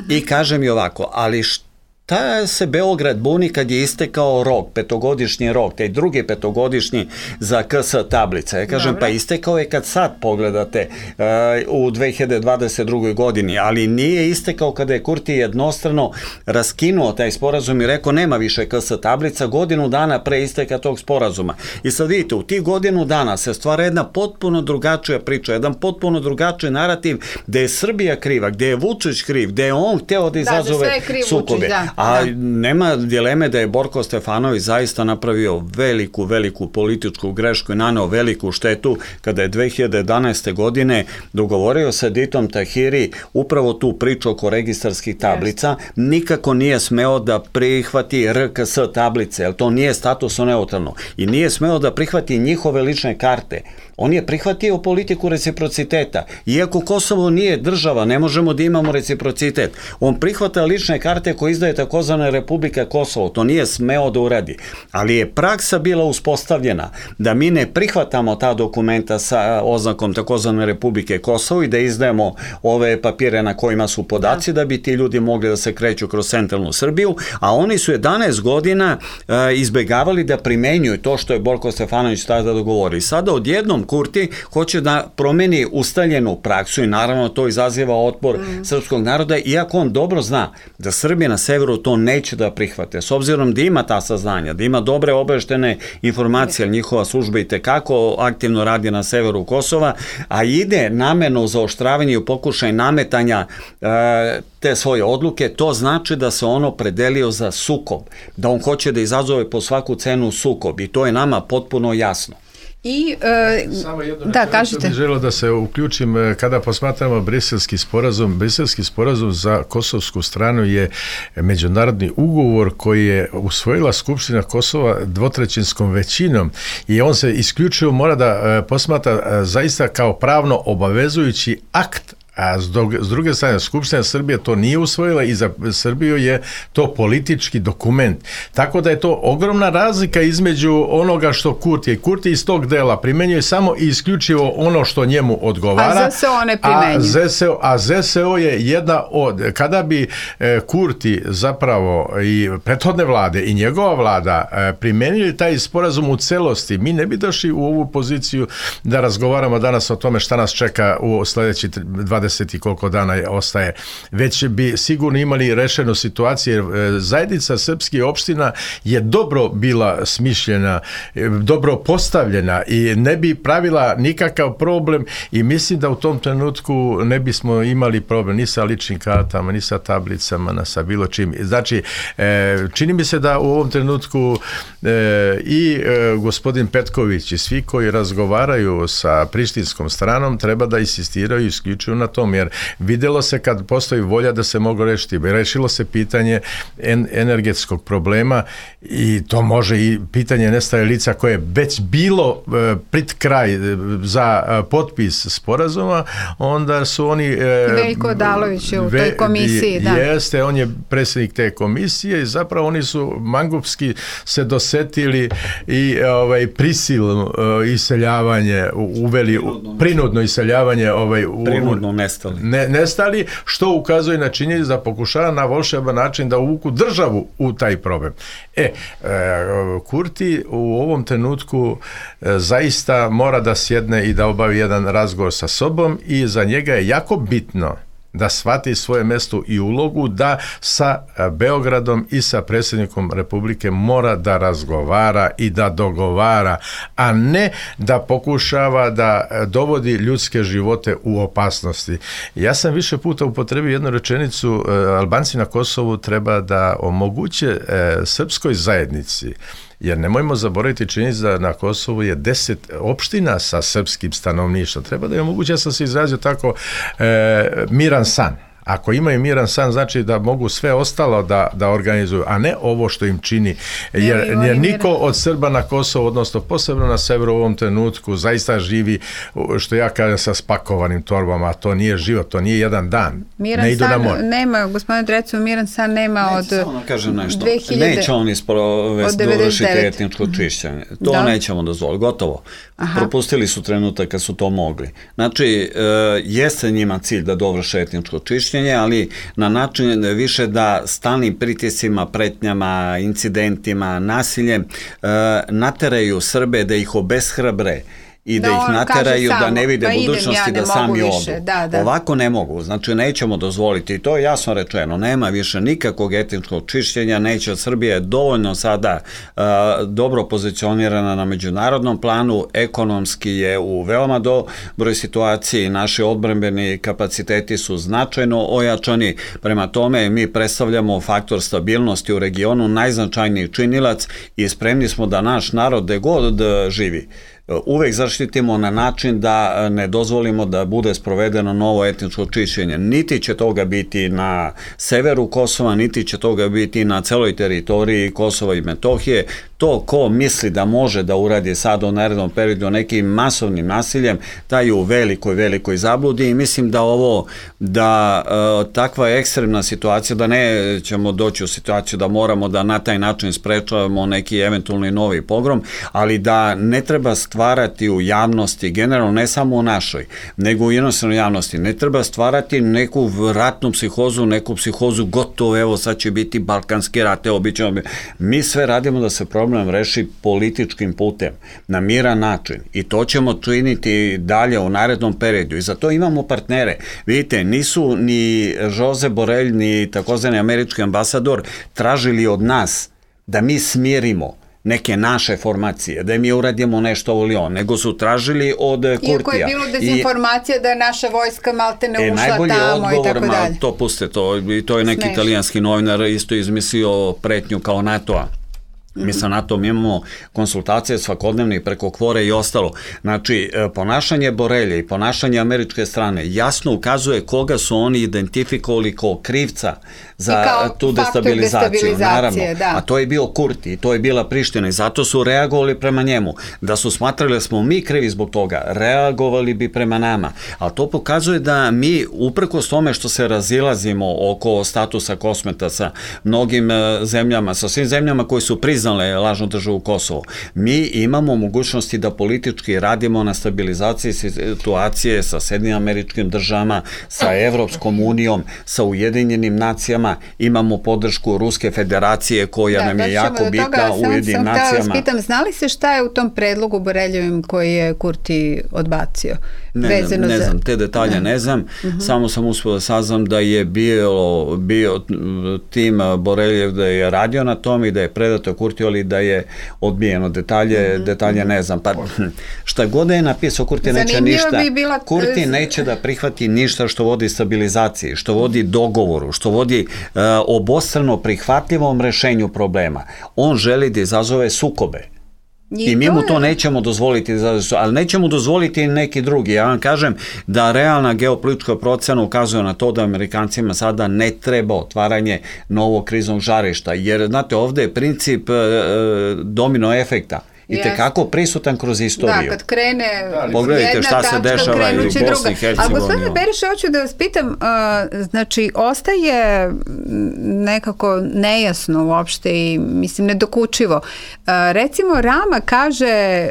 I kaže mi ovako, ali šta se Beograd buni kad je istekao rok, 5-godišnji rok, taj drugi 5-godišnji za KS tablica. Ja kažem, pa istekao je kad sad pogledate u 2022. godini, ali nije istekao kada je Kurti jednostrano raskinuo taj sporazum i rekao nema više KS tablica godinu dana pre isteka tog sporazuma. I sad vidite, u tih godinu dana se stvara jedna potpuno drugačija priča, jedan potpuno drugačiji narativ gde je Srbija kriva, gde je Vučić kriv, gde je on hteo da izazove sukobe. A nema dileme da je Borko Stefanović zaista napravio veliku političku grešku i naneo veliku štetu kada je 2011. godine dogovorio sa Ditom Tahiri upravo tu priču oko registarskih tablica. Nikako nije smeo da prihvati RKS tablice, jer to nije statusno neutralno. I nije smeo da prihvati njihove lične karte. On je prihvatio politiku reciprociteta. Iako Kosovo nije država, ne možemo da imamo reciprocitet. On prihvata lične karte koje izdaje takozvana Republika Kosovo. To nije smeo da uradi. Ali je praksa bila uspostavljena da mi ne prihvatamo ta dokumenta sa oznakom takozvane Republike Kosovo i da izdajemo ove papire na kojima su podaci da bi ti ljudi mogli da se kreću kroz centralnu Srbiju, a oni su 11 godina izbegavali da primenjuju to što je Borko Stefanović tada dogovori. Sada odjednom Kurti hoće da promeni ustaljenu praksu i naravno to izaziva otpor srpskog naroda, iako on dobro zna da Srbi na severu to neće da prihvate. S obzirom da ima ta saznanja, da ima dobre obaveštene informacije, ali njihova služba i tekako aktivno radi na severu Kosova, a ide namerno u zaoštravanje i pokušaj nametanja te svoje odluke, to znači da se ono predelio za sukob, da on hoće da izazove po svaku cenu sukob i to je nama potpuno jasno. I, samo jedno, kažete. Bih želeo da se uključim kada posmatramo Briselski sporazum za kosovsku stranu je međunarodni ugovor koji je usvojila Skupština Kosova dvotrećinskom većinom i on se isključivo mora da posmatra zaista kao pravno obavezujući akt, A s druge strane, Skupština Srbije to nije usvojila i za Srbiju je to politički dokument. Tako da je to ogromna razlika između onoga što Kurti je. Kurti iz tog dela primenjuje samo i isključivo ono što njemu odgovara. A ZSO ne primenjuje. A ZSO je jedna od... Kada bi Kurti zapravo i prethodne vlade i njegova vlada primenili taj sporazum u celosti, mi ne bi došli u ovu poziciju da razgovaramo danas o tome šta nas čeka u sledeći 20 i koliko dana ostaje. Već bi sigurno imali rešenu situaciju, jer zajednica srpskih opština je dobro bila smišljena, dobro postavljena i ne bi pravila nikakav problem i mislim da u tom trenutku ne bismo imali problem ni sa ličnim kartama, ni sa tablicama, sa bilo čim. Znači, čini mi se da u ovom trenutku i gospodin Petković i svi koji razgovaraju sa prištinskom stranom treba da insistiraju isključivo na tom, jer videlo se kad postoji volja da se mogu rešiti. Rešilo se pitanje energetskog problema i to može i pitanje nestaje lica koje je već bilo pred kraj za potpis sporazuma, onda su oni... Veljko Odalović je u toj komisiji, da. Jeste, on je predsjednik te komisije i zapravo oni su mangupski se dosetili i prisilno iseljavanje uveli, prinudno iseljavanje prinudno nestali, što ukazuje na činjenicu da pokušava na volšeban način da uvuku državu u taj problem. Kurti u ovom trenutku zaista mora da sjedne i da obavi jedan razgovor sa sobom i za njega je jako bitno da shvati svoje mesto i ulogu, da sa Beogradom i sa predsjednikom Republike mora da razgovara i da dogovara, a ne da pokušava da dovodi ljudske živote u opasnosti. Ja sam više puta upotrebio jednu rečenicu, Albanci na Kosovu treba da omoguće srpskoj zajednici, jer nemojmo zaboraviti činjenicu da na Kosovu je 10 opština sa srpskim stanovništvom. Treba da je omoguće, ja sam se izrazio tako, miran san. Ako imaju miran san, znači da mogu sve ostalo da organizuju, a ne ovo što im čini. Jer niko od Srba na Kosovu, odnosno posebno na severu u ovom trenutku, zaista živi, što ja kažem, sa spakovanim torbama, a to nije život, to nije jedan dan. Miran ne idu san na more. Nema, gospodine Drecu, miran san nema od 2000... Neće oni dovršiti etničko čišćenje. To nećemo dozvoliti, gotovo. Propustili su trenutak kad su to mogli. Znači, jeste njima cilj da dovrše etničko čišćenje, ali na način više da stalnim pritiscima, pretnjama, incidentima, nasiljem nateraju Srbe da ih obeshrabre i da ih nateraju da ne vide budućnosti, da sami odu. Ovako ne mogu, znači nećemo dozvoliti i to je jasno rečeno, nema više nikakvog etničkog čišćenja, neće. Srbija je dovoljno sada dobro pozicionirana na međunarodnom planu, ekonomski je u veoma dobroj situaciji, naši odbrambeni kapaciteti su značajno ojačani, prema tome mi predstavljamo faktor stabilnosti u regionu, najznačajniji činilac i spremni smo da naš narod gde god živi uvek zaštitimo na način da ne dozvolimo da bude sprovedeno novo etničko čišćenje. Niti će toga biti na severu Kosova, niti će toga biti na celoj teritoriji Kosova i Metohije. To ko misli da može da uradi sad u narednom periodu nekim masovnim nasiljem, taj je u velikoj zabludi i mislim da takva ekstremna situacija, da nećemo doći u situaciju da moramo da na taj način sprečavamo neki eventualni novi pogrom, ali da ne treba stvarati u javnosti, generalno ne samo u našoj, nego u jednostavnoj javnosti, ne treba stvarati neku ratnu psihozu, neku psihozu gotovo, evo sad će biti balkanski rat, mi sve radimo da se problem reši političkim putem, na miran način i to ćemo činiti dalje u narednom periodu i za to imamo partnere. Vidite, nisu ni Jose Borrell ni takozvani američki ambasador tražili od nas da mi smirimo neke naše formacije, da mi uradimo nešto ovo ili on, nego su tražili od Kurtija. Iako je bilo dezinformacija da je naša vojska maltene ušla tamo i tako dalje. To puste, to je neki italijanski novinar isto izmislio pretnju kao NATO-a. Mi sa NATO-om imamo konsultacije svakodnevne preko Kvore i ostalo. Znači, ponašanje Borelje i ponašanje američke strane jasno ukazuje koga su oni identifikovali kao krivca za tu destabilizaciju. Naravno, da. A to je bio Kurti, to je bila Priština i zato su reagovali prema njemu. Da su smatrali da smo mi krivi zbog toga, reagovali bi prema nama. Ali to pokazuje da mi, uprkos tome što se razilazimo oko statusa Kosmeta sa mnogim zemljama, sa svim zemljama koji su priznale lažnu državu Kosovo, mi imamo mogućnosti da politički radimo na stabilizaciji situacije sa Sjedinjenim Američkim Državama, sa Evropskom unijom, sa Ujedinjenim nacijama, imamo podršku Ruske federacije koja nam je jako bitna u Ujedinjenim nacijama. Sam pitam, znali se šta je u tom predlogu Boreljevim koji je Kurti odbacio? Ne znam, te detalje ne znam, samo sam uspio da saznam da je bio tim Boreljev da je radio na tom i da je predato Kurti, ali da je odbijeno. Detalje ne znam. Pa šta god da je napisao, Kurti neće ništa. Kurti neće da prihvati ništa što vodi stabilizaciji, što vodi dogovoru, što vodi obostrano prihvatljivom rešenju problema. On želi da izazove sukobe. I mi mu to nećemo dozvoliti, ali nećemo dozvoliti neki drugi. Ja vam kažem da realna geopolitička procena ukazuje na to da Amerikancima sada ne treba otvaranje novog kriznog žarišta, jer znate, ovde je princip domino efekta i tekako prisutan kroz istoriju. Da, kad krene pogledajte šta se dešava i u Bosni i Hercegovini. Ali gospodine Beriše, hoću da vas pitam, znači, ostaje nekako nejasno uopšte i, mislim, nedokučivo. Recimo, Rama kaže,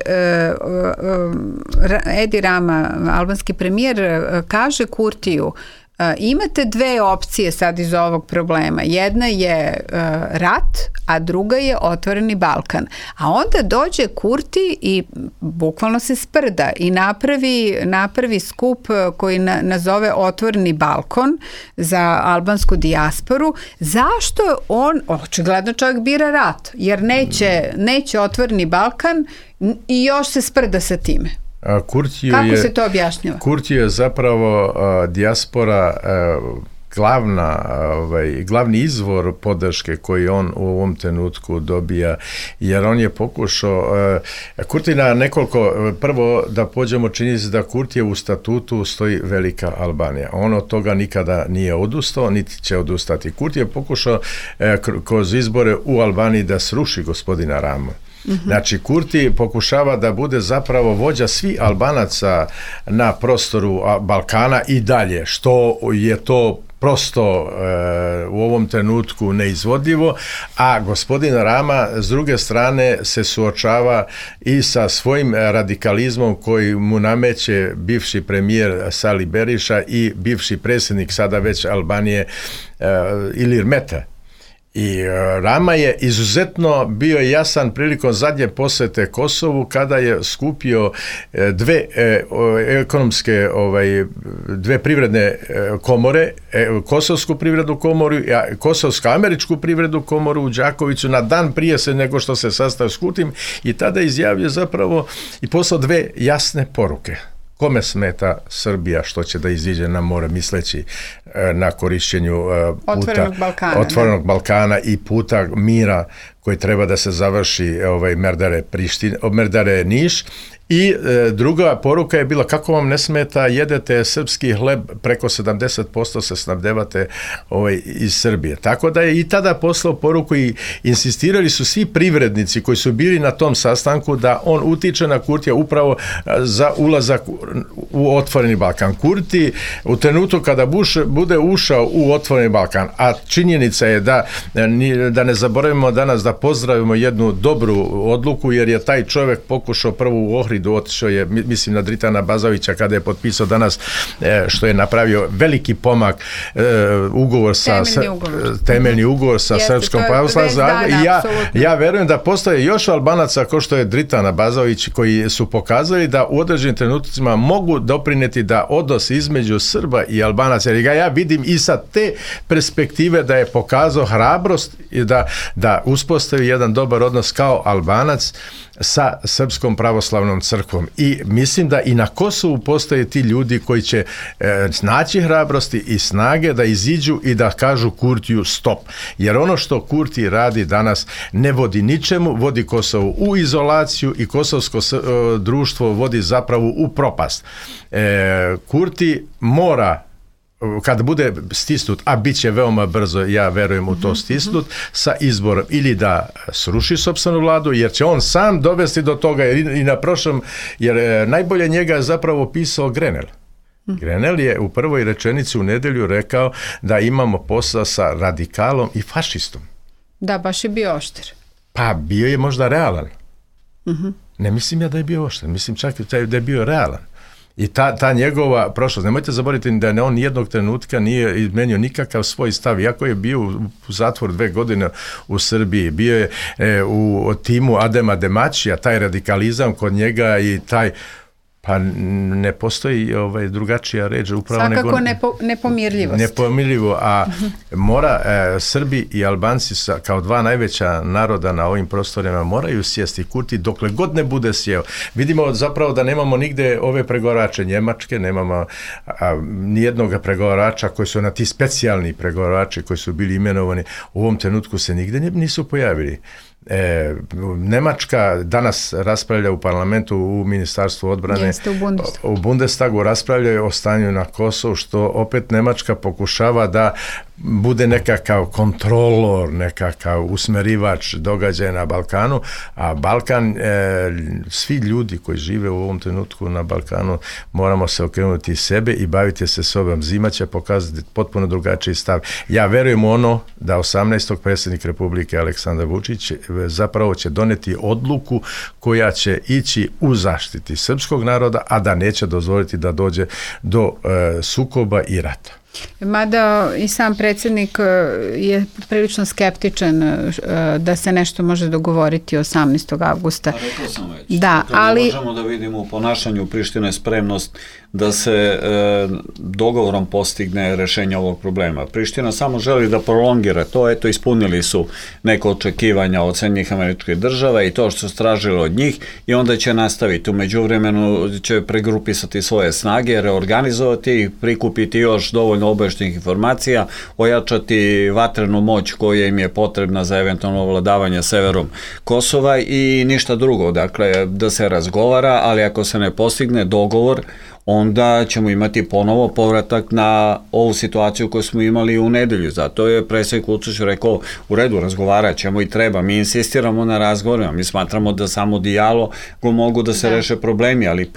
Edi Rama, albanski premijer, kaže Kurtiju, imate dve opcije sad iz ovog problema. Jedna je rat, a druga je otvoreni Balkan. A onda dođe Kurti i bukvalno se sprda i napravi skup koji nazove otvoreni Balkon za albansku dijasporu. Zašto on, očigledno čovjek bira rat, jer neće otvoreni Balkan i još se sprda sa time. Kako se to objašnjava? Kurti je zapravo dijaspora glavni izvor podrške koji on u ovom trenutku dobija, jer on je pokušao Kurti na nekoliko, prvo da pođemo činjenici da Kurti je u statutu stoji velika Albanija. On od toga nikada nije odustao, niti će odustati. Kurti je pokušao kroz izbore u Albaniji da sruši gospodina Ramu. Znači, Kurti pokušava da bude zapravo vođa svih Albanaca na prostoru Balkana i dalje, što je to prosto u ovom trenutku neizvodljivo, a gospodin Rama s druge strane se suočava i sa svojim radikalizmom koji mu nameće bivši premijer Sali Beriša i bivši predsjednik sada već Albanije Ilir Meta. I Rama je izuzetno bio jasan prilikom zadnje posete Kosovu kada je skupio dve privredne komore, Kosovsku privrednu komoru i Kosovsko-američku privrednu komoru u Đakoviću na dan prije nego što se sastao s Kurtim, i tada izjavio zapravo i poslao dve jasne poruke. Kome smeta Srbija što će da iziđe na more, misleći na korišćenju otvorenog Balkana i puta mira koji treba da se završi Merdare Niš. I druga poruka je bila, kako vam ne smeta, jedete srpski hleb, preko 70% se snabdevate iz Srbije. Tako da je i tada poslao poruku i insistirali su svi privrednici koji su bili na tom sastanku da on utiče na Kurtija upravo za ulazak u otvoreni Balkan. Kurti u trenutku kada bude ušao u otvoreni Balkan, a činjenica je da ne zaboravimo danas da pozdravimo jednu dobru odluku, jer je taj čovjek pokušao prvo u Ohridu, otišao je, mislim, na Dritana Bazovića kada je potpisao danas, što je napravio veliki pomak, temeljni ugovor sa Srpskom pravoslavnom zajednicom. I ja verujem da postoje još Albanaca kao što je Dritana Bazović koji su pokazali da u određenim trenucima mogu doprineti da odnos između Srba i Albanaca, jer ja vidim i sa te perspektive da je pokazao hrabrost i da uspostavi uspostavi jedan dobar odnos kao Albanac sa Srpskom pravoslavnom crkvom. I mislim da i na Kosovu postoje ti ljudi koji će naći hrabrosti i snage da iziđu i da kažu Kurtiju stop. Jer ono što Kurti radi danas ne vodi ničemu, vodi Kosovo u izolaciju i kosovsko društvo vodi zapravo u propast. Kurti mora, kad bude stisnut, a bit će veoma brzo, ja verujem u to stisnut, sa izborom ili da sruši sopstvenu vladu, jer će on sam dovesti do toga i na prošlom, jer najbolje njega je zapravo pisao Grenell. Grenell je u prvoj rečenici u nedelju rekao da imamo posla sa radikalom i fašistom. Da, baš je bio oštar. Pa bio je možda realan. Ne mislim ja da je bio oštar, mislim čak da je bio realan. I ta njegova prošlost, nemojte zaboraviti da on nijednog trenutka nije izmenio nikakav svoj stav, iako je bio u zatvoru 2 godine u Srbiji, bio je u timu Adema Demačija, taj radikalizam kod njega i taj, pa ne postoji drugačija reč upravo svakako nepomirljivost. Nepomirljivo, a mora Srbi i Albanci kao 2 najveća naroda na ovim prostorima moraju sjesti. Kurti dokle god ne bude sjeo. Vidimo zapravo da nemamo nigde ove pregovarače Njemačke, nemamo nijednog pregovarača koji su ti specijalni pregovarači koji su bili imenovani, u ovom trenutku se nigde nisu pojavili. Nemačka danas raspravlja u parlamentu, u Ministarstvu odbrane, u Bundestagu raspravljaju o stanju na Kosovu, što opet Nemačka pokušava da bude nekakav kontrolor, nekakav usmerivač događaja na Balkanu, a Balkan, svi ljudi koji žive u ovom trenutku na Balkanu, moramo se okrenuti sebe i baviti se sobom. Zima će pokazati potpuno drugačiji stav. Ja verujem u ono da 18. predsjednik Republike Aleksandar Vučić zapravo će doneti odluku koja će ići u zaštiti srpskog naroda, a da neće dozvoliti da dođe do sukoba i rata. Mada i sam predsjednik je prilično skeptičan da se nešto može dogovoriti 18. avgusta. Rekao sam već. Da, ali možemo da vidimo u ponašanju Prištine spremnost da se dogovorom postigne rešenje ovog problema. Priština samo želi da prolongira to, eto ispunili su neko očekivanja od Sjedinjenih Američkih Država i to što su tražili od njih i onda će nastaviti. U međuvremenu će pregrupisati svoje snage, reorganizovati ih, prikupiti još dovoljno obavještajnih informacija, ojačati vatrenu moć koja im je potrebna za eventualno ovladavanje severom Kosova i ništa drugo. Dakle, da se razgovara, ali ako se ne postigne dogovor, onda ćemo imati ponovo povratak na ovu situaciju koju smo imali u nedelju. Zato je predsjednik Vučić rekao, u redu, razgovarat ćemo i treba. Mi insistiramo na razgovorima, mi smatramo da samo dijalogom mogu da se reše problemi, ali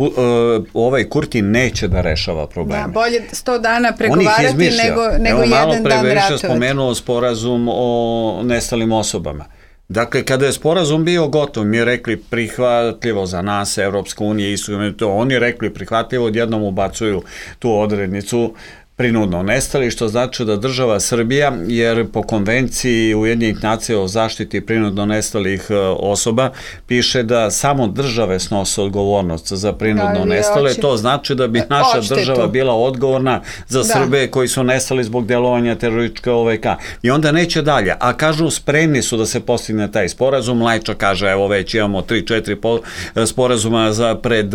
ovaj Kurti neće da rešava probleme. Da, bolje 100 dana pregovarati nego jedan dan ratovati. Malo pre više spomenuo sporazum o nestalim osobama. Dakle, kada je sporazum bio gotov, mi je rekli prihvatljivo za nas, Evropska unija i to, oni rekli prihvatljivo, odjednom ubacuju tu odrednicu prinudno nestali, što znači da država Srbija, jer po konvenciji Ujedinjenih nacija o zaštiti prinudno nestalih osoba, piše da samo države snose odgovornost za prinudno nestale, to znači da bi naša država bila odgovorna za Srbe koji su nestali zbog delovanja terorističke OVK. I onda neće dalje, a kažu spremni su da se postigne taj sporazum, Lajča kaže evo već imamo 3-4 sporazuma pred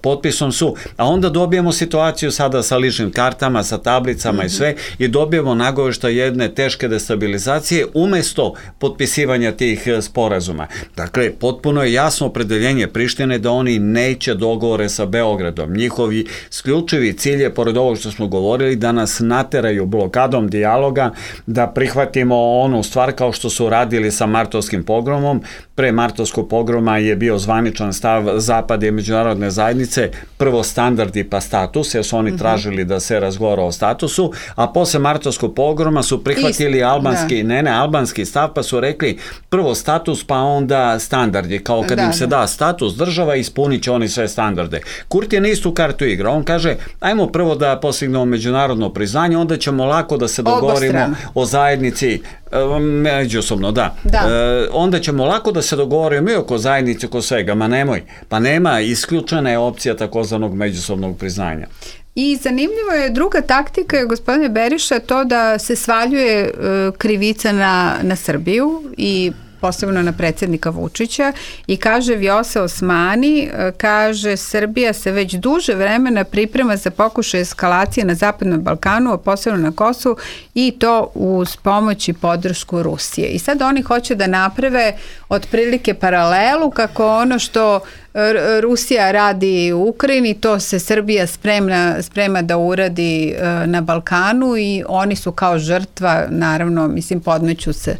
potpisom su, a onda dobijemo situaciju sada sa ličnim kartama, sa tablicama i sve i dobijemo nagoveštaj jedne teške destabilizacije umesto potpisivanja tih sporazuma. Dakle, potpuno je jasno opredeljenje Prištine da oni neće dogovore sa Beogradom. Njihovi isključivi cilj je, pored ovog što smo govorili, da nas nateraju blokadom dijaloga, da prihvatimo onu stvar kao što su radili sa martovskim pogromom. Pre martovskog pogroma je bio zvaničan stav Zapada i međunarodne zajednice, prvo standardi pa status, jer su oni tražili da se razgovara o statusu, a posle martovskog pogroma su prihvatili albanski stav, pa su rekli prvo status, pa onda standardi, kao kad im se da status država, ispunit će oni sve standarde. Kurti je istu kartu igra, on kaže, ajmo prvo da postignemo međunarodno priznanje, onda ćemo lako da se dogovorimo o zajednici, međusobno, onda ćemo lako da se dogovorimo i oko zajednice, oko svega, ma nemoj, pa nema, isključena je opcija takozvanog međusobnog priznanja. I zanimljivo je druga taktika, gospodine Beriša, to da se svaljuje krivica na Srbiju i posebno na predsjednika Vučića, i kaže Vjosa Osmani, kaže Srbija se već duže vremena priprema za pokušaj eskalacije na Zapadnom Balkanu, a posebno na Kosovu, i to uz pomoć i podršku Rusije. I sad oni hoće da naprave otprilike paralelu kako ono što Rusija radi u Ukrajini, to se Srbija sprema da uradi na Balkanu, i oni su kao žrtva, naravno, mislim, podmeću se.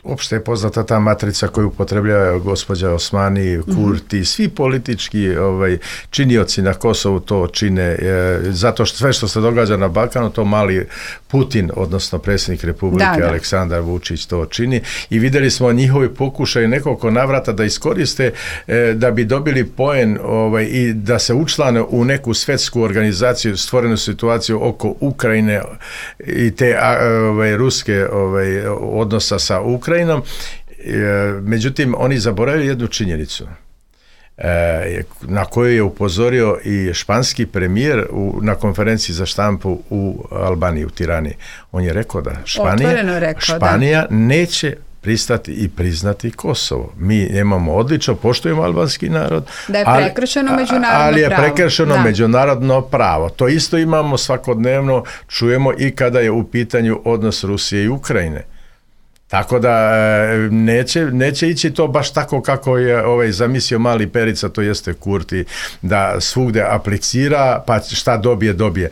Uopšte je poznata ta matrica koju upotrebljava gospođa Osmani, Kurti, svi politički činioci na Kosovu to čine, zato što sve što se događa na Balkanu, to mali Putin, odnosno predsjednik Republike Aleksandar Vučić to čini, i vidjeli smo njihovi pokušaj nekoliko navrata da iskoriste da bi dobili poen i da se učlane u neku svetsku organizaciju, stvorenu situaciju oko Ukrajine i te ruske odnosa sa Ukrajinom. Međutim, oni zaboravili jednu činjenicu na koju je upozorio i španski premijer na konferenciji za štampu u Albaniji, u Tirani. On je rekao da Španija neće pristati i priznati Kosovo. Mi imamo odlično, poštujemo albanski narod, da je prekršeno međunarodno pravo. Ali je prekršeno međunarodno pravo. To isto imamo svakodnevno, čujemo i kada je u pitanju odnos Rusije i Ukrajine. Tako da neće ići to baš tako kako je zamislio mali Perica, to jeste Kurti, da svugde aplicira, pa šta dobije.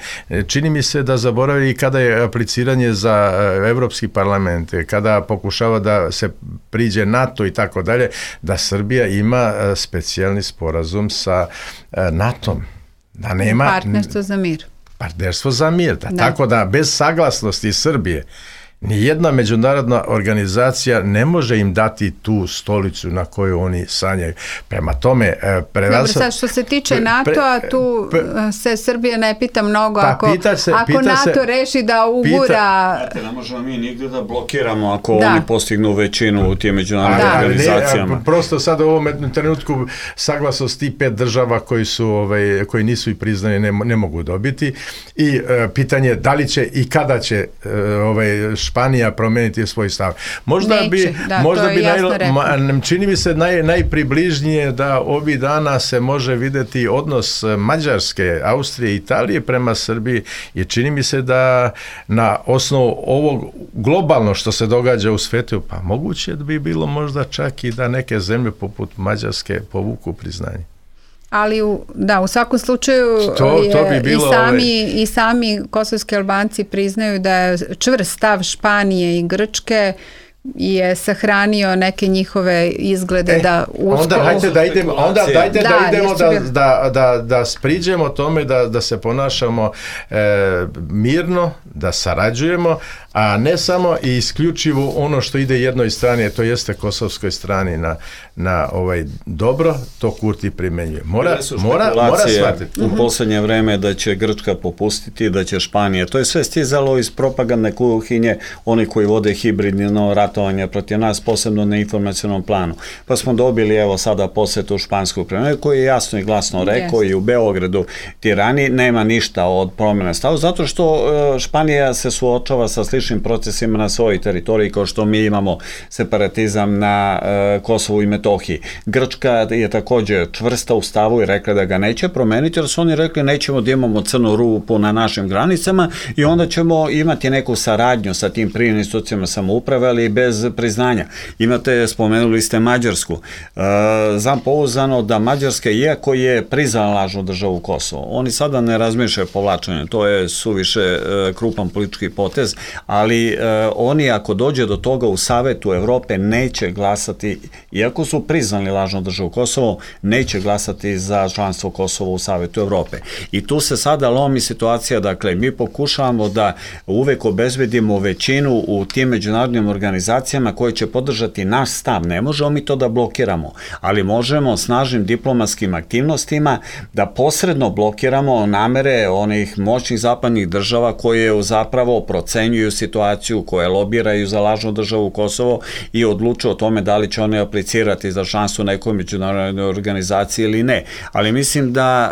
Čini mi se da zaboravi kada je apliciranje za Evropski parlament, kada pokušava da se priđe NATO i tako dalje, da Srbija ima specijalni sporazum sa NATO-om. Da nema partnerstvo za mir. Partnerstvo za mir, tako da bez saglasnosti Srbije nijedna međunarodna organizacija ne može im dati tu stolicu na koju oni sanjaju. Prema tome, Dobro, sad što se tiče NATO-a, tu se Srbija ne pita mnogo. Ako NATO reši da ugura... Ne možemo mi nigde da blokiramo ako oni postignu većinu u tijem međunarodnim organizacijama. Prosto sad u ovom trenutku saglasnost tih 5 država koji nisu i priznani ne mogu dobiti. I pitanje da li će i kada će Španija promeniti svoj stav. Možda bi čini mi se najpribližnije da ovih dana se može vidjeti odnos Mađarske, Austrije i Italije prema Srbiji, i čini mi se da na osnovu ovog globalno što se događa u svetu, pa moguće da bi bilo možda čak i da neke zemlje poput Mađarske povuku priznanje. Ali u svakom slučaju to bi bilo i sami kosovski Albanci priznaju da je čvrst stav Španije i Grčke je sahranio neke njihove izglede da dajte da idemo da spriđemo tome, da se ponašamo mirno, da sarađujemo, a ne samo i isključivo ono što ide jednoj strani, to jeste kosovskoj strani na dobro, to Kurti primenjuje. Mora shvatiti. U posljednje vreme da će Grčka popustiti, da će Španija. To je sve stizalo iz propagandne kuhinje, oni koji vode hibridno ratovanje protiv nas, posebno na informacionom planu. Pa smo dobili evo sada posjetu špansku premijeru koji je jasno i glasno rekao i u Beogradu, Tirani, nema ništa od promjene stava, zato što Španija se suočava sa sličnim procesima na svojoj teritoriji kao što mi imamo separatizam na Kosovu i Metohiji. Grčka je također čvrsta u stavu i rekla da ga neće promeniti, jer su oni rekli nećemo da imamo crnu rupu na našim granicama i onda ćemo imati neku saradnju sa tim privrednim institucijama samouprave, ali bez priznanja. Spomenuli ste Mađarsku. Znam pouzdano da Mađarska, iako je priznala lažnu državu Kosovo, oni sada ne razmišljaju povlačenje, to je suviše krupan politički potez, ali oni ako dođe do toga u Savetu Evrope neće glasati, iako su priznali lažnu državu Kosovo, neće glasati za članstvo Kosova u Savetu Evrope. I tu se sada lomi situacija, dakle, mi pokušavamo da uvek obezbedimo većinu u tim međunarodnim organizacijama koje će podržati naš stav. Ne možemo mi to da blokiramo, ali možemo snažnim diplomatskim aktivnostima da posredno blokiramo namere onih moćnih zapadnih država koje zapravo procenjuju situaciju, koje lobiraju za lažnu državu Kosovo i odlučuju o tome da li će one aplicirati za članstvo nekoj međunarodnoj organizaciji ili ne. Ali mislim da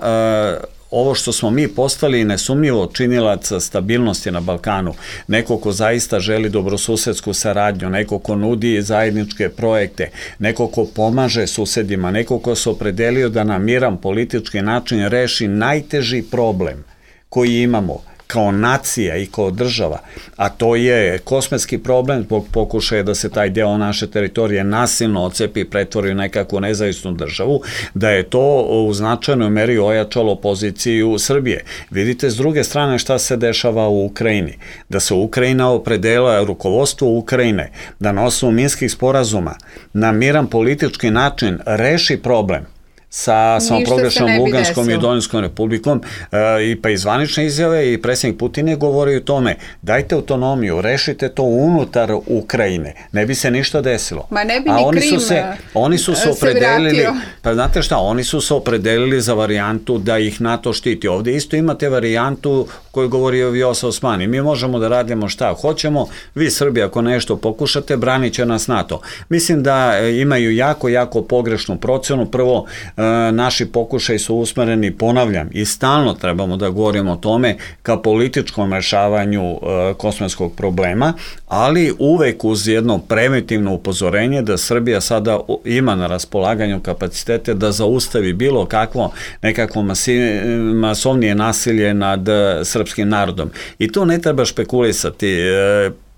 ovo što smo mi postali nesumnjivo činilac stabilnosti na Balkanu, neko ko zaista želi dobrosusedsku saradnju, neko ko nudi zajedničke projekte, neko ko pomaže susedima, neko ko se opredelio da na miran politički način reši najteži problem koji imamo kao nacija i kao država, a to je kosmetski problem zbog pokušaja da se taj deo naše teritorije nasilno ocepi i pretvori u nekakvu nezavisnu državu, da je to u značajnoj meri ojačalo poziciju Srbije. Vidite s druge strane šta se dešava u Ukrajini, da se Ukrajina opredela, rukovodstvo Ukrajine, da na osnovu minskih sporazuma na miran politički način reši problem sa samoproglašenom Luganskom i Donjskom republikom, i pa i zvanične izjave i predsjednik Putin je govorio o tome, dajte autonomiju, rešite to unutar Ukrajine, ne bi se ništa desilo. Ma ne bi ni Krim oni su se opredelili, pa znate šta, oni su se opredelili za varijantu da ih NATO štiti. Ovdje isto imate varijantu koju govori o Vjosa Osmani. Mi možemo da radimo šta hoćemo, vi Srbi ako nešto pokušate, branit će nas NATO. Mislim da imaju jako pogrešnu procenu. Prvo, naši pokušaj su usmereni, ponavljam, i stalno trebamo da govorimo o tome ka političkom rešavanju kosmetskog problema, ali uvek uz jedno preventivno upozorenje da Srbija sada ima na raspolaganju kapacitete da zaustavi bilo kakvo nekakvo masovnije nasilje nad srpskim narodom. I to ne treba špekulisati.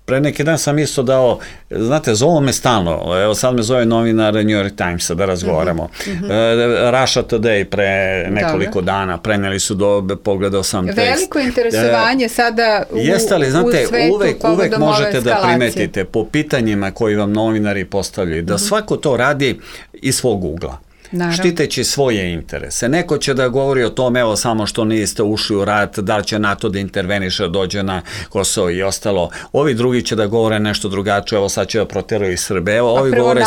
Pre neki dan sam isto dao, znate, zovu me stalno, evo sad me zove novinar New York Timesa da razgovaramo. Russia Today pre nekoliko dana, preneli su pogledao sam tekst. Veliko interesovanje sada u svetu. Jeste li, znate, uvek možete da primetite po pitanjima koji vam novinari postavljaju, da svako to radi iz svog ugla. Štiteći svoje interese. Neko će da govori o tome, evo samo što niste ušli u rat, da li će NATO da interveniše, dođe na Kosovo i ostalo. Ovi drugi će da govore nešto drugačije, evo sad će da proteraju Srbe, evo ovi govore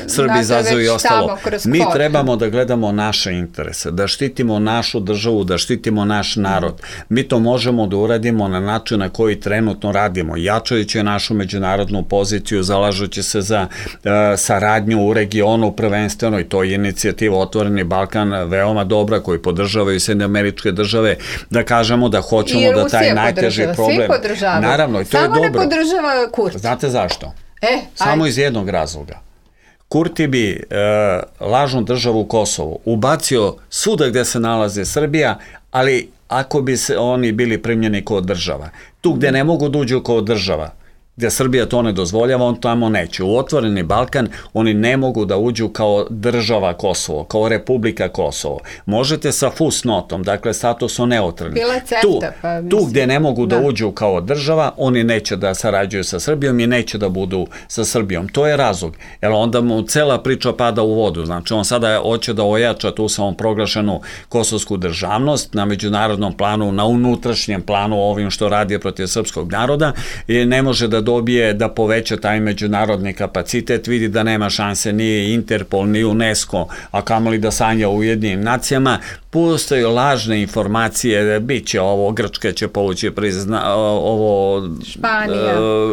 Srbi izazuju i ostalo. Mi trebamo da gledamo naše interese, da štitimo našu državu, da štitimo naš narod. Mi to možemo da uradimo na način na koji trenutno radimo, jačajući našu međunarodnu poziciju, zalažući se za saradnju u regionu prvenstveno, i to je inicijativa Otvoreni Balkan veoma dobra, koji podržavaju Sjedinjene Američke Države, da kažemo da hoćemo da taj najteži problem... Svi podržavaju. Naravno, i to je dobro. Samo ne podržava Kurti. Znate zašto? Samo iz jednog razloga. Kurti bi lažnu državu Kosovo ubacio svuda gde se nalaze Srbija, ali ako bi se oni bili primljeni kao država. Tu gde ne mogu da uđu kao država, gde Srbija to ne dozvoljava, on tamo neće. U Otvoreni Balkan oni ne mogu da uđu kao država Kosovo, kao Republika Kosovo. Možete sa fusnotom, dakle statusom neutralni. Tu gde ne mogu da uđu kao država, oni neće da sarađuju sa Srbijom i neće da budu sa Srbijom. To je razlog. Jer onda mu cela priča pada u vodu. Znači on sada hoće da ojača tu samoproglašenu kosovsku državnost na međunarodnom planu, na unutrašnjem planu ovim što radi protiv srpskog naroda i ne može da dobije da poveća taj međunarodni kapacitet, vidi da nema šanse ni Interpol, ni UNESCO, a kamoli da sanja u Ujedinjenim nacijama. Postoje lažne informacije, bit će ovo, Grčka će povući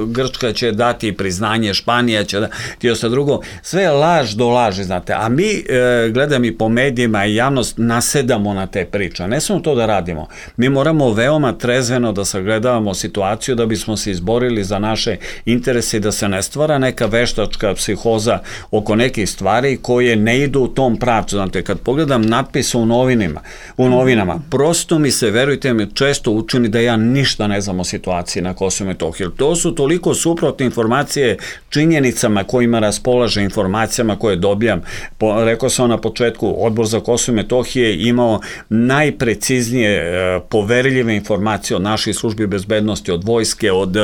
Grčka će dati priznanje, Španija će dati osta drugo, sve je laž do laži, znate, a mi gledam i po medijima i javnost nasedamo na te priče, ne samo to da radimo, mi moramo veoma trezveno da sagledavamo situaciju da bismo se izborili za naše interese i da se ne stvara neka veštačka psihoza oko nekih stvari koje ne idu u tom pravcu, znate, kad pogledam natpise u novinama, prosto mi se, verujte mi, često učini da ja ništa ne znam o situaciji na Kosovu i Metohiji. To su toliko suprotne informacije činjenicama kojima raspolaže, informacijama koje dobijam. Rekao sam na početku, Odbor za Kosovo i Metohije imao najpreciznije poverljive informacije od naših službi bezbednosti, od vojske, od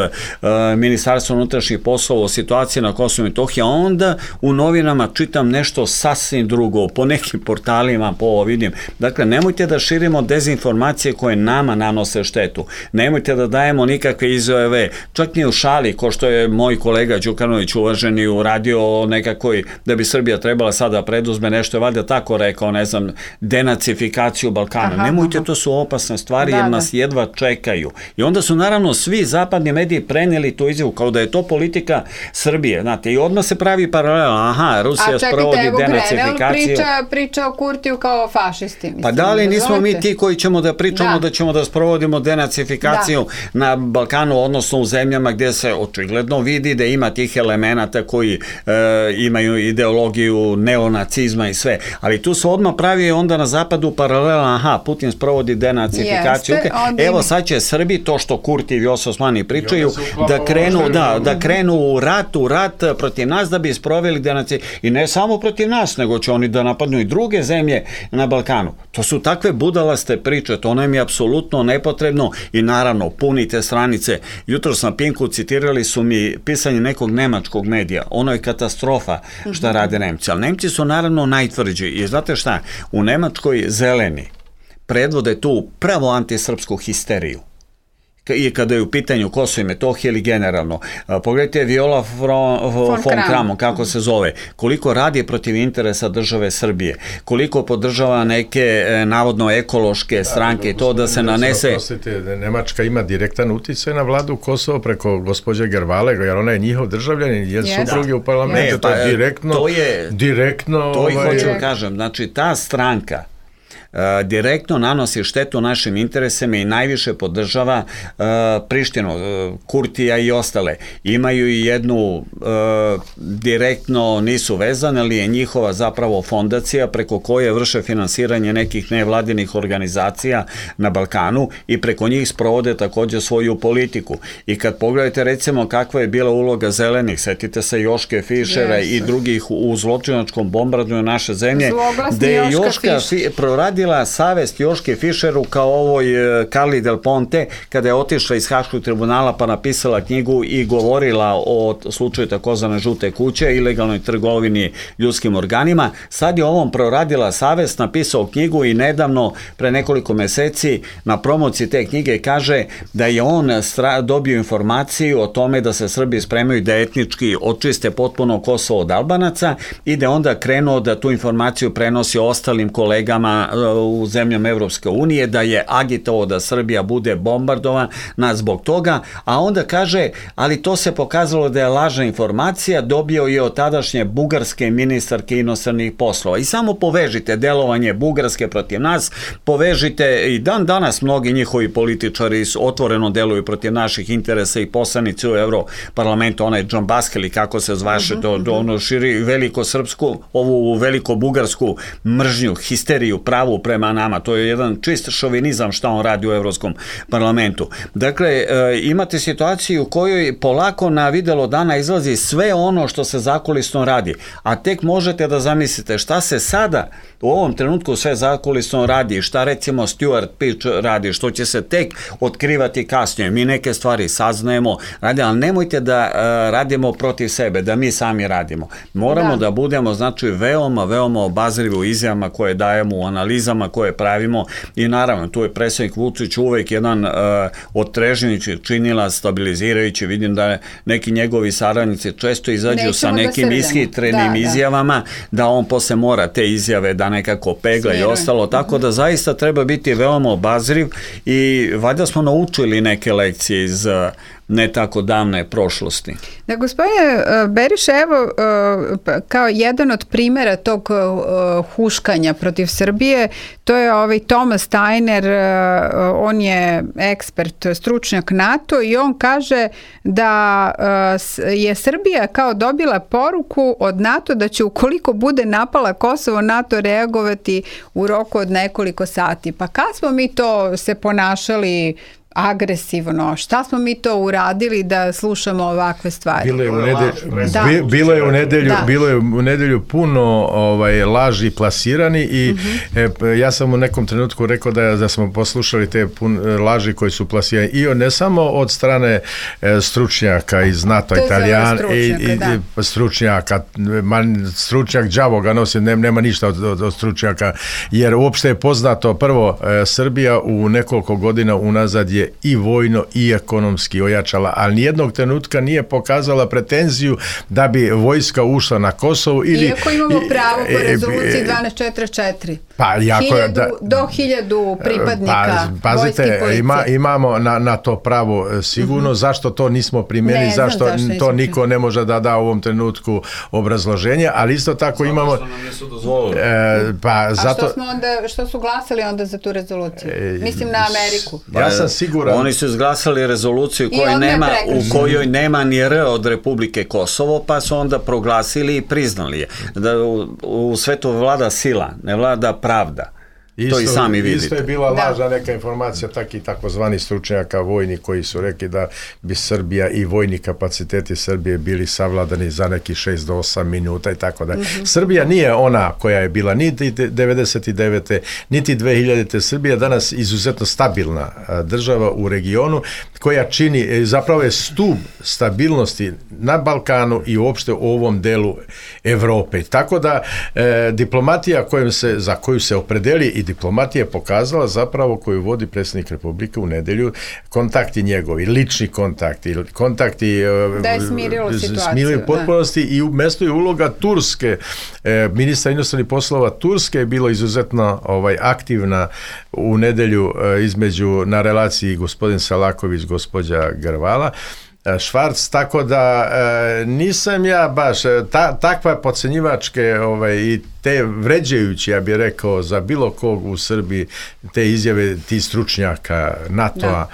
Ministarstva unutrašnjih poslova o situaciji na Kosovu i Metohiji, a onda u novinama čitam nešto sasvim drugo, po nekim portalima, po ovo vidim. Dakle, nemojte da širimo dezinformacije koje nama nanose štetu. Nemojte da dajemo nikakve izjave, čak ni u šali, ko što je moj kolega Đukanović uvaženi uradio o nekakvoj, da bi Srbija trebala sada preduzme nešto, je valjda tako rekao, ne znam, denacifikaciju Balkana. Nemojte, to su opasne stvari jer nas jedva čekaju. I onda su naravno svi zapadni mediji prenijeli tu izjavu kao da je to politika Srbije. Znate, i odmah se pravi paralela, Rusija sprovodi denacifikaciju. Priča o Kurtiju kao fašisti. Pa da li nismo mi ti koji ćemo da pričamo da ćemo da sprovodimo denacifikaciju na Balkanu, odnosno u zemljama gdje se očigledno vidi da ima tih elemenata koji imaju ideologiju neonacizma i sve. Ali tu se odmah pravi onda na zapadu paralela, Putin sprovodi denacifikaciju. Evo sad će Srbi, to što Kurti i Vjosa Osmani pričaju, da krenu u rat protiv nas da bi sproveli denacifikaciju. I ne samo protiv nas, nego će oni da napadnu i druge zemlje na Balkanu. To su takve budalaste priče, to nam je apsolutno nepotrebno i naravno punite stranice. Jutro na Pinku citirali su mi pisanje nekog nemačkog medija. Ono je katastrofa šta rade Nemci. Ali Nemci su naravno najtvrđi. I znate šta? U Nemačkoj zeleni predvode tu pravo antisrpsku histeriju. I kada je u pitanju Kosovo i Metohije ili generalno. Pogledajte Viola von Kramon, kako se zove, koliko radi protiv interesa države Srbije, koliko podržava neke navodno ekološke stranke i to da se nanese... Nemačka ima direktan uticaj na vladu Kosovo preko gospođe Gervale, jer ona je njihov državljanin, jer supruge u parlamentu, to je direktno... To i hoću da kažem, znači ta stranka direktno nanosi štetu našim interesima i najviše podržava Prištinu, Kurtija i ostale. Imaju i jednu direktno nisu vezane, ali je njihova zapravo fondacija preko koje vrše finansiranje nekih nevladinih organizacija na Balkanu i preko njih sprovode također svoju politiku. I kad pogledate recimo kakva je bila uloga zelenih, setite se Joške Fišera i drugih u zločinačkom bombardovanju naše zemlje, gde je Joška proradila savest Joške Fišeru kao ovoj Carli Del Ponte kada je otišla iz Haškog tribunala pa napisala knjigu i govorila o slučaju takozvane žute kuće, ilegalnoj trgovini ljudskim organima. Sad je ovom proradila savest, napisao knjigu i nedavno, pre nekoliko meseci, na promociji te knjige kaže da je on dobio informaciju o tome da se Srbi spremaju da etnički očiste potpuno Kosovo od Albanaca i da onda krenuo da tu informaciju prenosi ostalim kolegama u zemljama Evropske unije, da je agitovao da Srbija bude bombardovana zbog toga, a onda kaže, ali to se pokazalo da je lažna informacija, dobio je od tadašnje bugarske ministarke inostranih poslova. I samo povežite delovanje Bugarske protiv nas, povežite i danas mnogi njihovi političari otvoreno deluju protiv naših interesa i poslanici u Europarlamentu, onaj John Baskel, kako se zvaše, ono širi veliko-srpsku, ovu veliko-bugarsku mržnju, histeriju, pravu prema nama. To je jedan čist šovinizam šta on radi u Evropskom parlamentu. Dakle, imate situaciju u kojoj polako na videlo dana izlazi sve ono što se zakulisno radi. A tek možete da zamislite šta se sada u ovom trenutku sve zakulisno radi, šta recimo Stuart Pitch radi, što će se tek otkrivati kasnije. Mi neke stvari saznajemo, ali nemojte da radimo protiv sebe, da mi sami radimo. Moramo da budemo, znači, veoma, veoma obazrivi u izjavama koje dajemo, u analizama koje pravimo i naravno, tu je predsjednik Vučić uvek jedan otrežnjujući činila, stabilizirajući. Vidim da neki njegovi saradnici često izađu sa nekim ishitrenim izjavama, da on posle mora te izjave da nekako pegla i ostalo, tako da zaista treba biti veoma obazriv i valjda smo naučili neke lekcije iz ne tako davne prošlosti. Da, gospodine Beriše, evo, kao jedan od primjera tog huškanja protiv Srbije, to je ovaj Thomas Steiner, on je ekspert, stručnjak NATO i on kaže da je Srbija kao dobila poruku od NATO da će ukoliko bude napala Kosovo, NATO reagovati u roku od nekoliko sati. Pa kad smo mi to se ponašali agresivno? Šta smo mi to uradili da slušamo ovakve stvari? Bilo je u nedelju puno laži plasirani i ja sam u nekom trenutku rekao da smo poslušali te laži koji su plasirani i ne samo od strane stručnjaka iz NATO, Italijan i stručnjak đavo ga nosi, nema ništa od stručnjaka, jer uopšte je poznato, prvo, Srbija u nekoliko godina unazad je i vojno i ekonomski ojačala, ali nijednog trenutka nije pokazala pretenziju da bi vojska ušla na Kosovo. Iako imamo pravo po rezoluciji 1244. Pa, do 1000 pripadnika pazite, imamo na to pravo sigurno, zašto to nismo primjeni, zašto to niko ne može da da u ovom trenutku obrazloženje, ali isto tako imamo... Što su glasali onda za tu rezoluciju? Mislim na Ameriku. Ja sam siguran... Oni su izglasali rezoluciju u kojoj nema ni R od Republike Kosovo, pa su onda proglasili i priznali je. Da u svetu vlada sila, ne vlada pravda. To i sami vidite. Isto je bila lažna neka informacija, takozvani stručnjaka vojni koji su rekli da bi Srbija i vojni kapaciteti Srbije bili savladani za neki 6 do 8 minuta i tako da. Srbija nije ona koja je bila niti 99. niti 2000. Srbija danas izuzetno stabilna država u regionu koja čini, zapravo je stub stabilnosti na Balkanu i uopšte u ovom delu Evrope. Tako da diplomatija za koju se opredeli i diplomatija je pokazala zapravo koju vodi predsjednik Republike u nedelju, kontakti njegovi, lični kontakti da je smirilo situaciju. Potpunosti i u mestu je uloga Turske, ministra inostranih poslova Turske je bilo izuzetno aktivna u nedelju na relaciji gospodin Salaković, gospođa Grvala, Švarc, tako da nisam ja baš takva podcenjivačke i te vređajući, ja bih rekao, za bilo kog u Srbiji, te izjave tih stručnjaka NATO-a.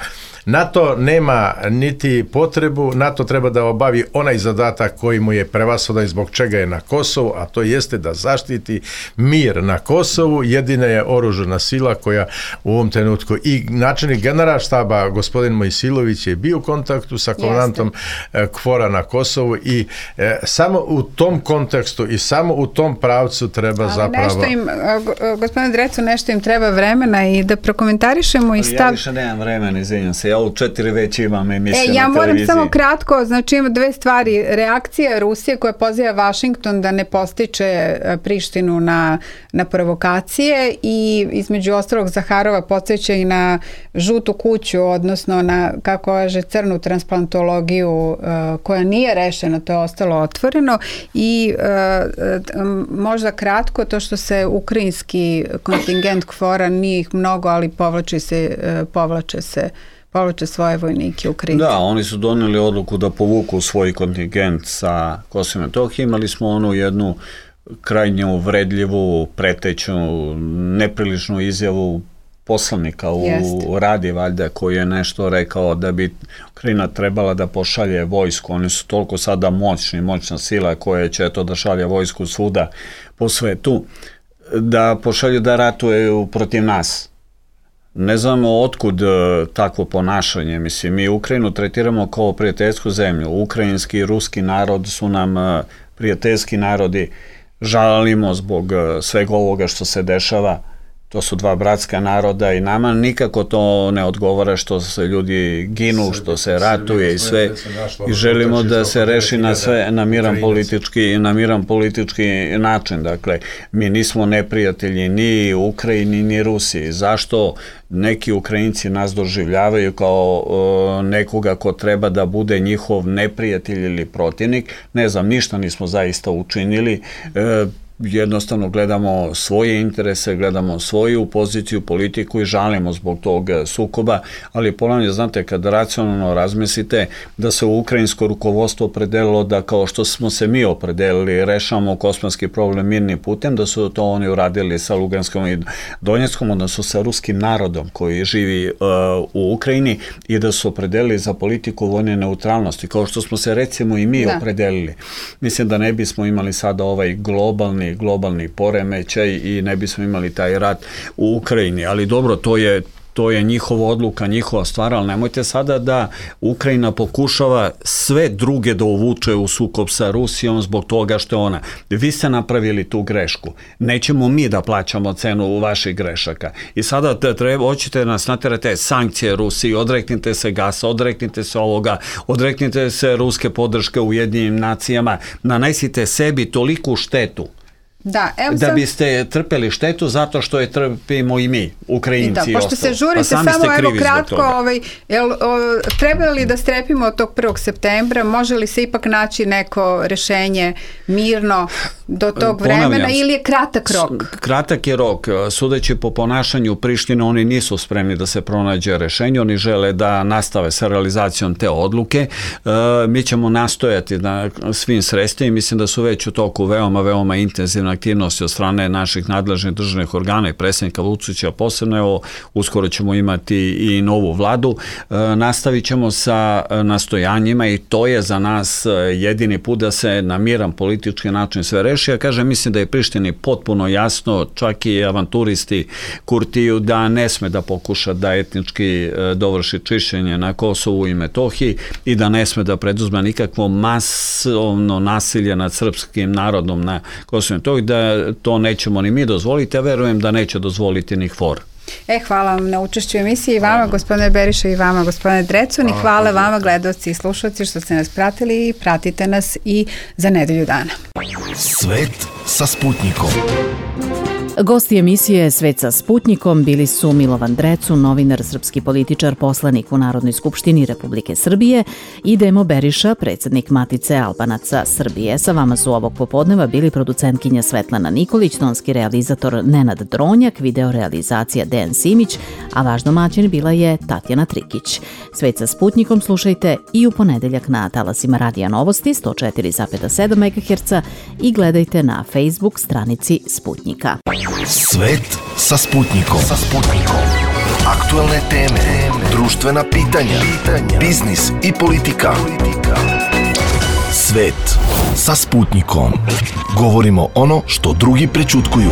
NATO nema niti potrebu, NATO treba da obavi onaj zadatak koji mu je prevashodan zbog čega je na Kosovu, a to jeste da zaštiti mir na Kosovu. Jedina je oružana sila koja u ovom trenutku i načelnik generalštaba gospodin Mojsilović je bio u kontaktu sa komandantom KFOR-a na Kosovu i samo u tom kontekstu i samo u tom pravcu treba zapravo... Gospodine Drecu, nešto im treba vremena i da prokomentarišemo i stav... Ja više nemam vremena, izvinjam se. Ja u 4 već imam emisiju na televiziji. Ja moram samo kratko, znači ima 2 stvari. Reakcija Rusije koja poziva Vašington da ne postiče Prištinu na provokacije i između ostalog Zaharova podsjeća i na žutu kuću, odnosno na, kako kaže, crnu transplantologiju koja nije rešena, to je ostalo otvoreno i možda kratko to što se ukrajinski kontingent KFOR-a nije ih mnogo, ali povlače svoje vojnike Ukrajinci. Da, oni su doneli odluku da povuku svoj kontingent sa Kosova i Metohije. Imali smo onu jednu krajnje uvredljivu, preteću, nepriličnu izjavu poslanika u Radi, valjda, koji je nešto rekao da bi Ukrajina trebala da pošalje vojsku. Oni su toliko sada moćna sila koja će da šalje vojsku svuda po svetu, da pošalju da ratuju protiv nas. Ne znamo otkud takvo ponašanje. Mislim, mi Ukrajinu tretiramo kao prijateljsku zemlju. Ukrajinski i ruski narod su nam prijateljski narodi. Žalimo zbog svega ovoga što se dešava. To su 2 bratska naroda i nama nikako to ne odgovara što se ljudi ginu, što se ratuje i sve. I želimo da se reši na miran politički način. Dakle, mi nismo neprijatelji ni Ukrajini ni Rusiji. Zašto neki Ukrajinci nas doživljavaju kao nekoga ko treba da bude njihov neprijatelj ili protivnik? Ne znam, ništa nismo zaista učinili. Jednostavno gledamo svoje interese, gledamo svoju poziciju, politiku i žalimo zbog tog sukoba, ali ponavljam, znate, kad racionalno razmislite da se ukrajinsko rukovodstvo opredelilo da kao što smo se mi opredelili rešavamo kosovski problem mirnim putem, da su to oni uradili sa Luganskom i Donjeckom, odnosno sa ruskim narodom koji živi u Ukrajini i da su opredelili za politiku vojne neutralnosti, kao što smo se recimo i mi opredelili. Mislim da ne bismo imali sada ovaj globalni poremećaj i ne bismo imali taj rat u Ukrajini, ali dobro, to je njihova odluka, njihova stvar, ali nemojte sada da Ukrajina pokušava sve druge da uvuče u sukob sa Rusijom zbog toga što je ona. Vi ste napravili tu grešku. Nećemo mi da plaćamo cenu vaših grešaka. I sada hoćete nas naterate sankcije Rusiji, odreknite se gasa, odreknite se ovoga, odreknite se ruske podrške u Ujedinjenim nacijama, nanesite sebi toliku štetu da biste trpeli štetu zato što je trpimo i mi, Ukrajinci i ostalo. Pošto se žurite, samo evo kratko, treba li da strepimo od tog 1. septembra, može li se ipak naći neko rešenje mirno do tog vremena ili je kratak rok? Kratak je rok. Sudeći po ponašanju Prištine, oni nisu spremni da se pronađe rešenje, oni žele da nastave sa realizacijom te odluke. Mi ćemo nastojati na svim sredstvima i mislim da su već u toku veoma intenzivne aktivnosti od strane naših nadležnih državnih organa i predsjednika Vučića posebno. Evo, uskoro ćemo imati i novu vladu. Nastavit ćemo sa nastojanjima i to je za nas jedini put da se na miran politički način sve reši. Ja kažem, mislim da je Prištini potpuno jasno, čak i avanturisti Kurtiju, da ne sme da pokuša da etnički dovrši čišćenje na Kosovu i Metohiji i da ne sme da preduzme nikakvo masovno nasilje nad srpskim narodom na Kosovu i Metohiji, da to nećemo ni mi dozvoliti, a verujem da neće dozvoliti ni KFOR. Hvala vam na učešću u emisiji i vama, gospodine Beriša, i vama, gospodine Drecun, i hvala vama, gledalci i slušalci, što ste nas pratili i pratite nas i za nedelju dana. Svet sa Sputnikom. Gosti emisije Svet sa Sputnikom bili su Milovan Drecun, novinar, srpski političar, poslanik u Narodnoj skupštini Republike Srbije, i Demo Beriša, predsjednik Matice Albanaca Srbije. Sa vama su ovog popodneva bili producentkinja Svetlana Nikolić, tonski realizator Nenad Dronjak, video realizacija Dejan Simić, a vaš domaćin bila je Tatjana Trikić. Svet sa Sputnikom slušajte i u ponedeljak na talasima Radija Novosti 104,7 MHz i gledajte na Facebook stranici Sputnika. Svet sa Sputnikom. Aktualne teme, društvena pitanja, biznis i politika. Svet sa Sputnikom. Govorimo ono što drugi prećutkuju.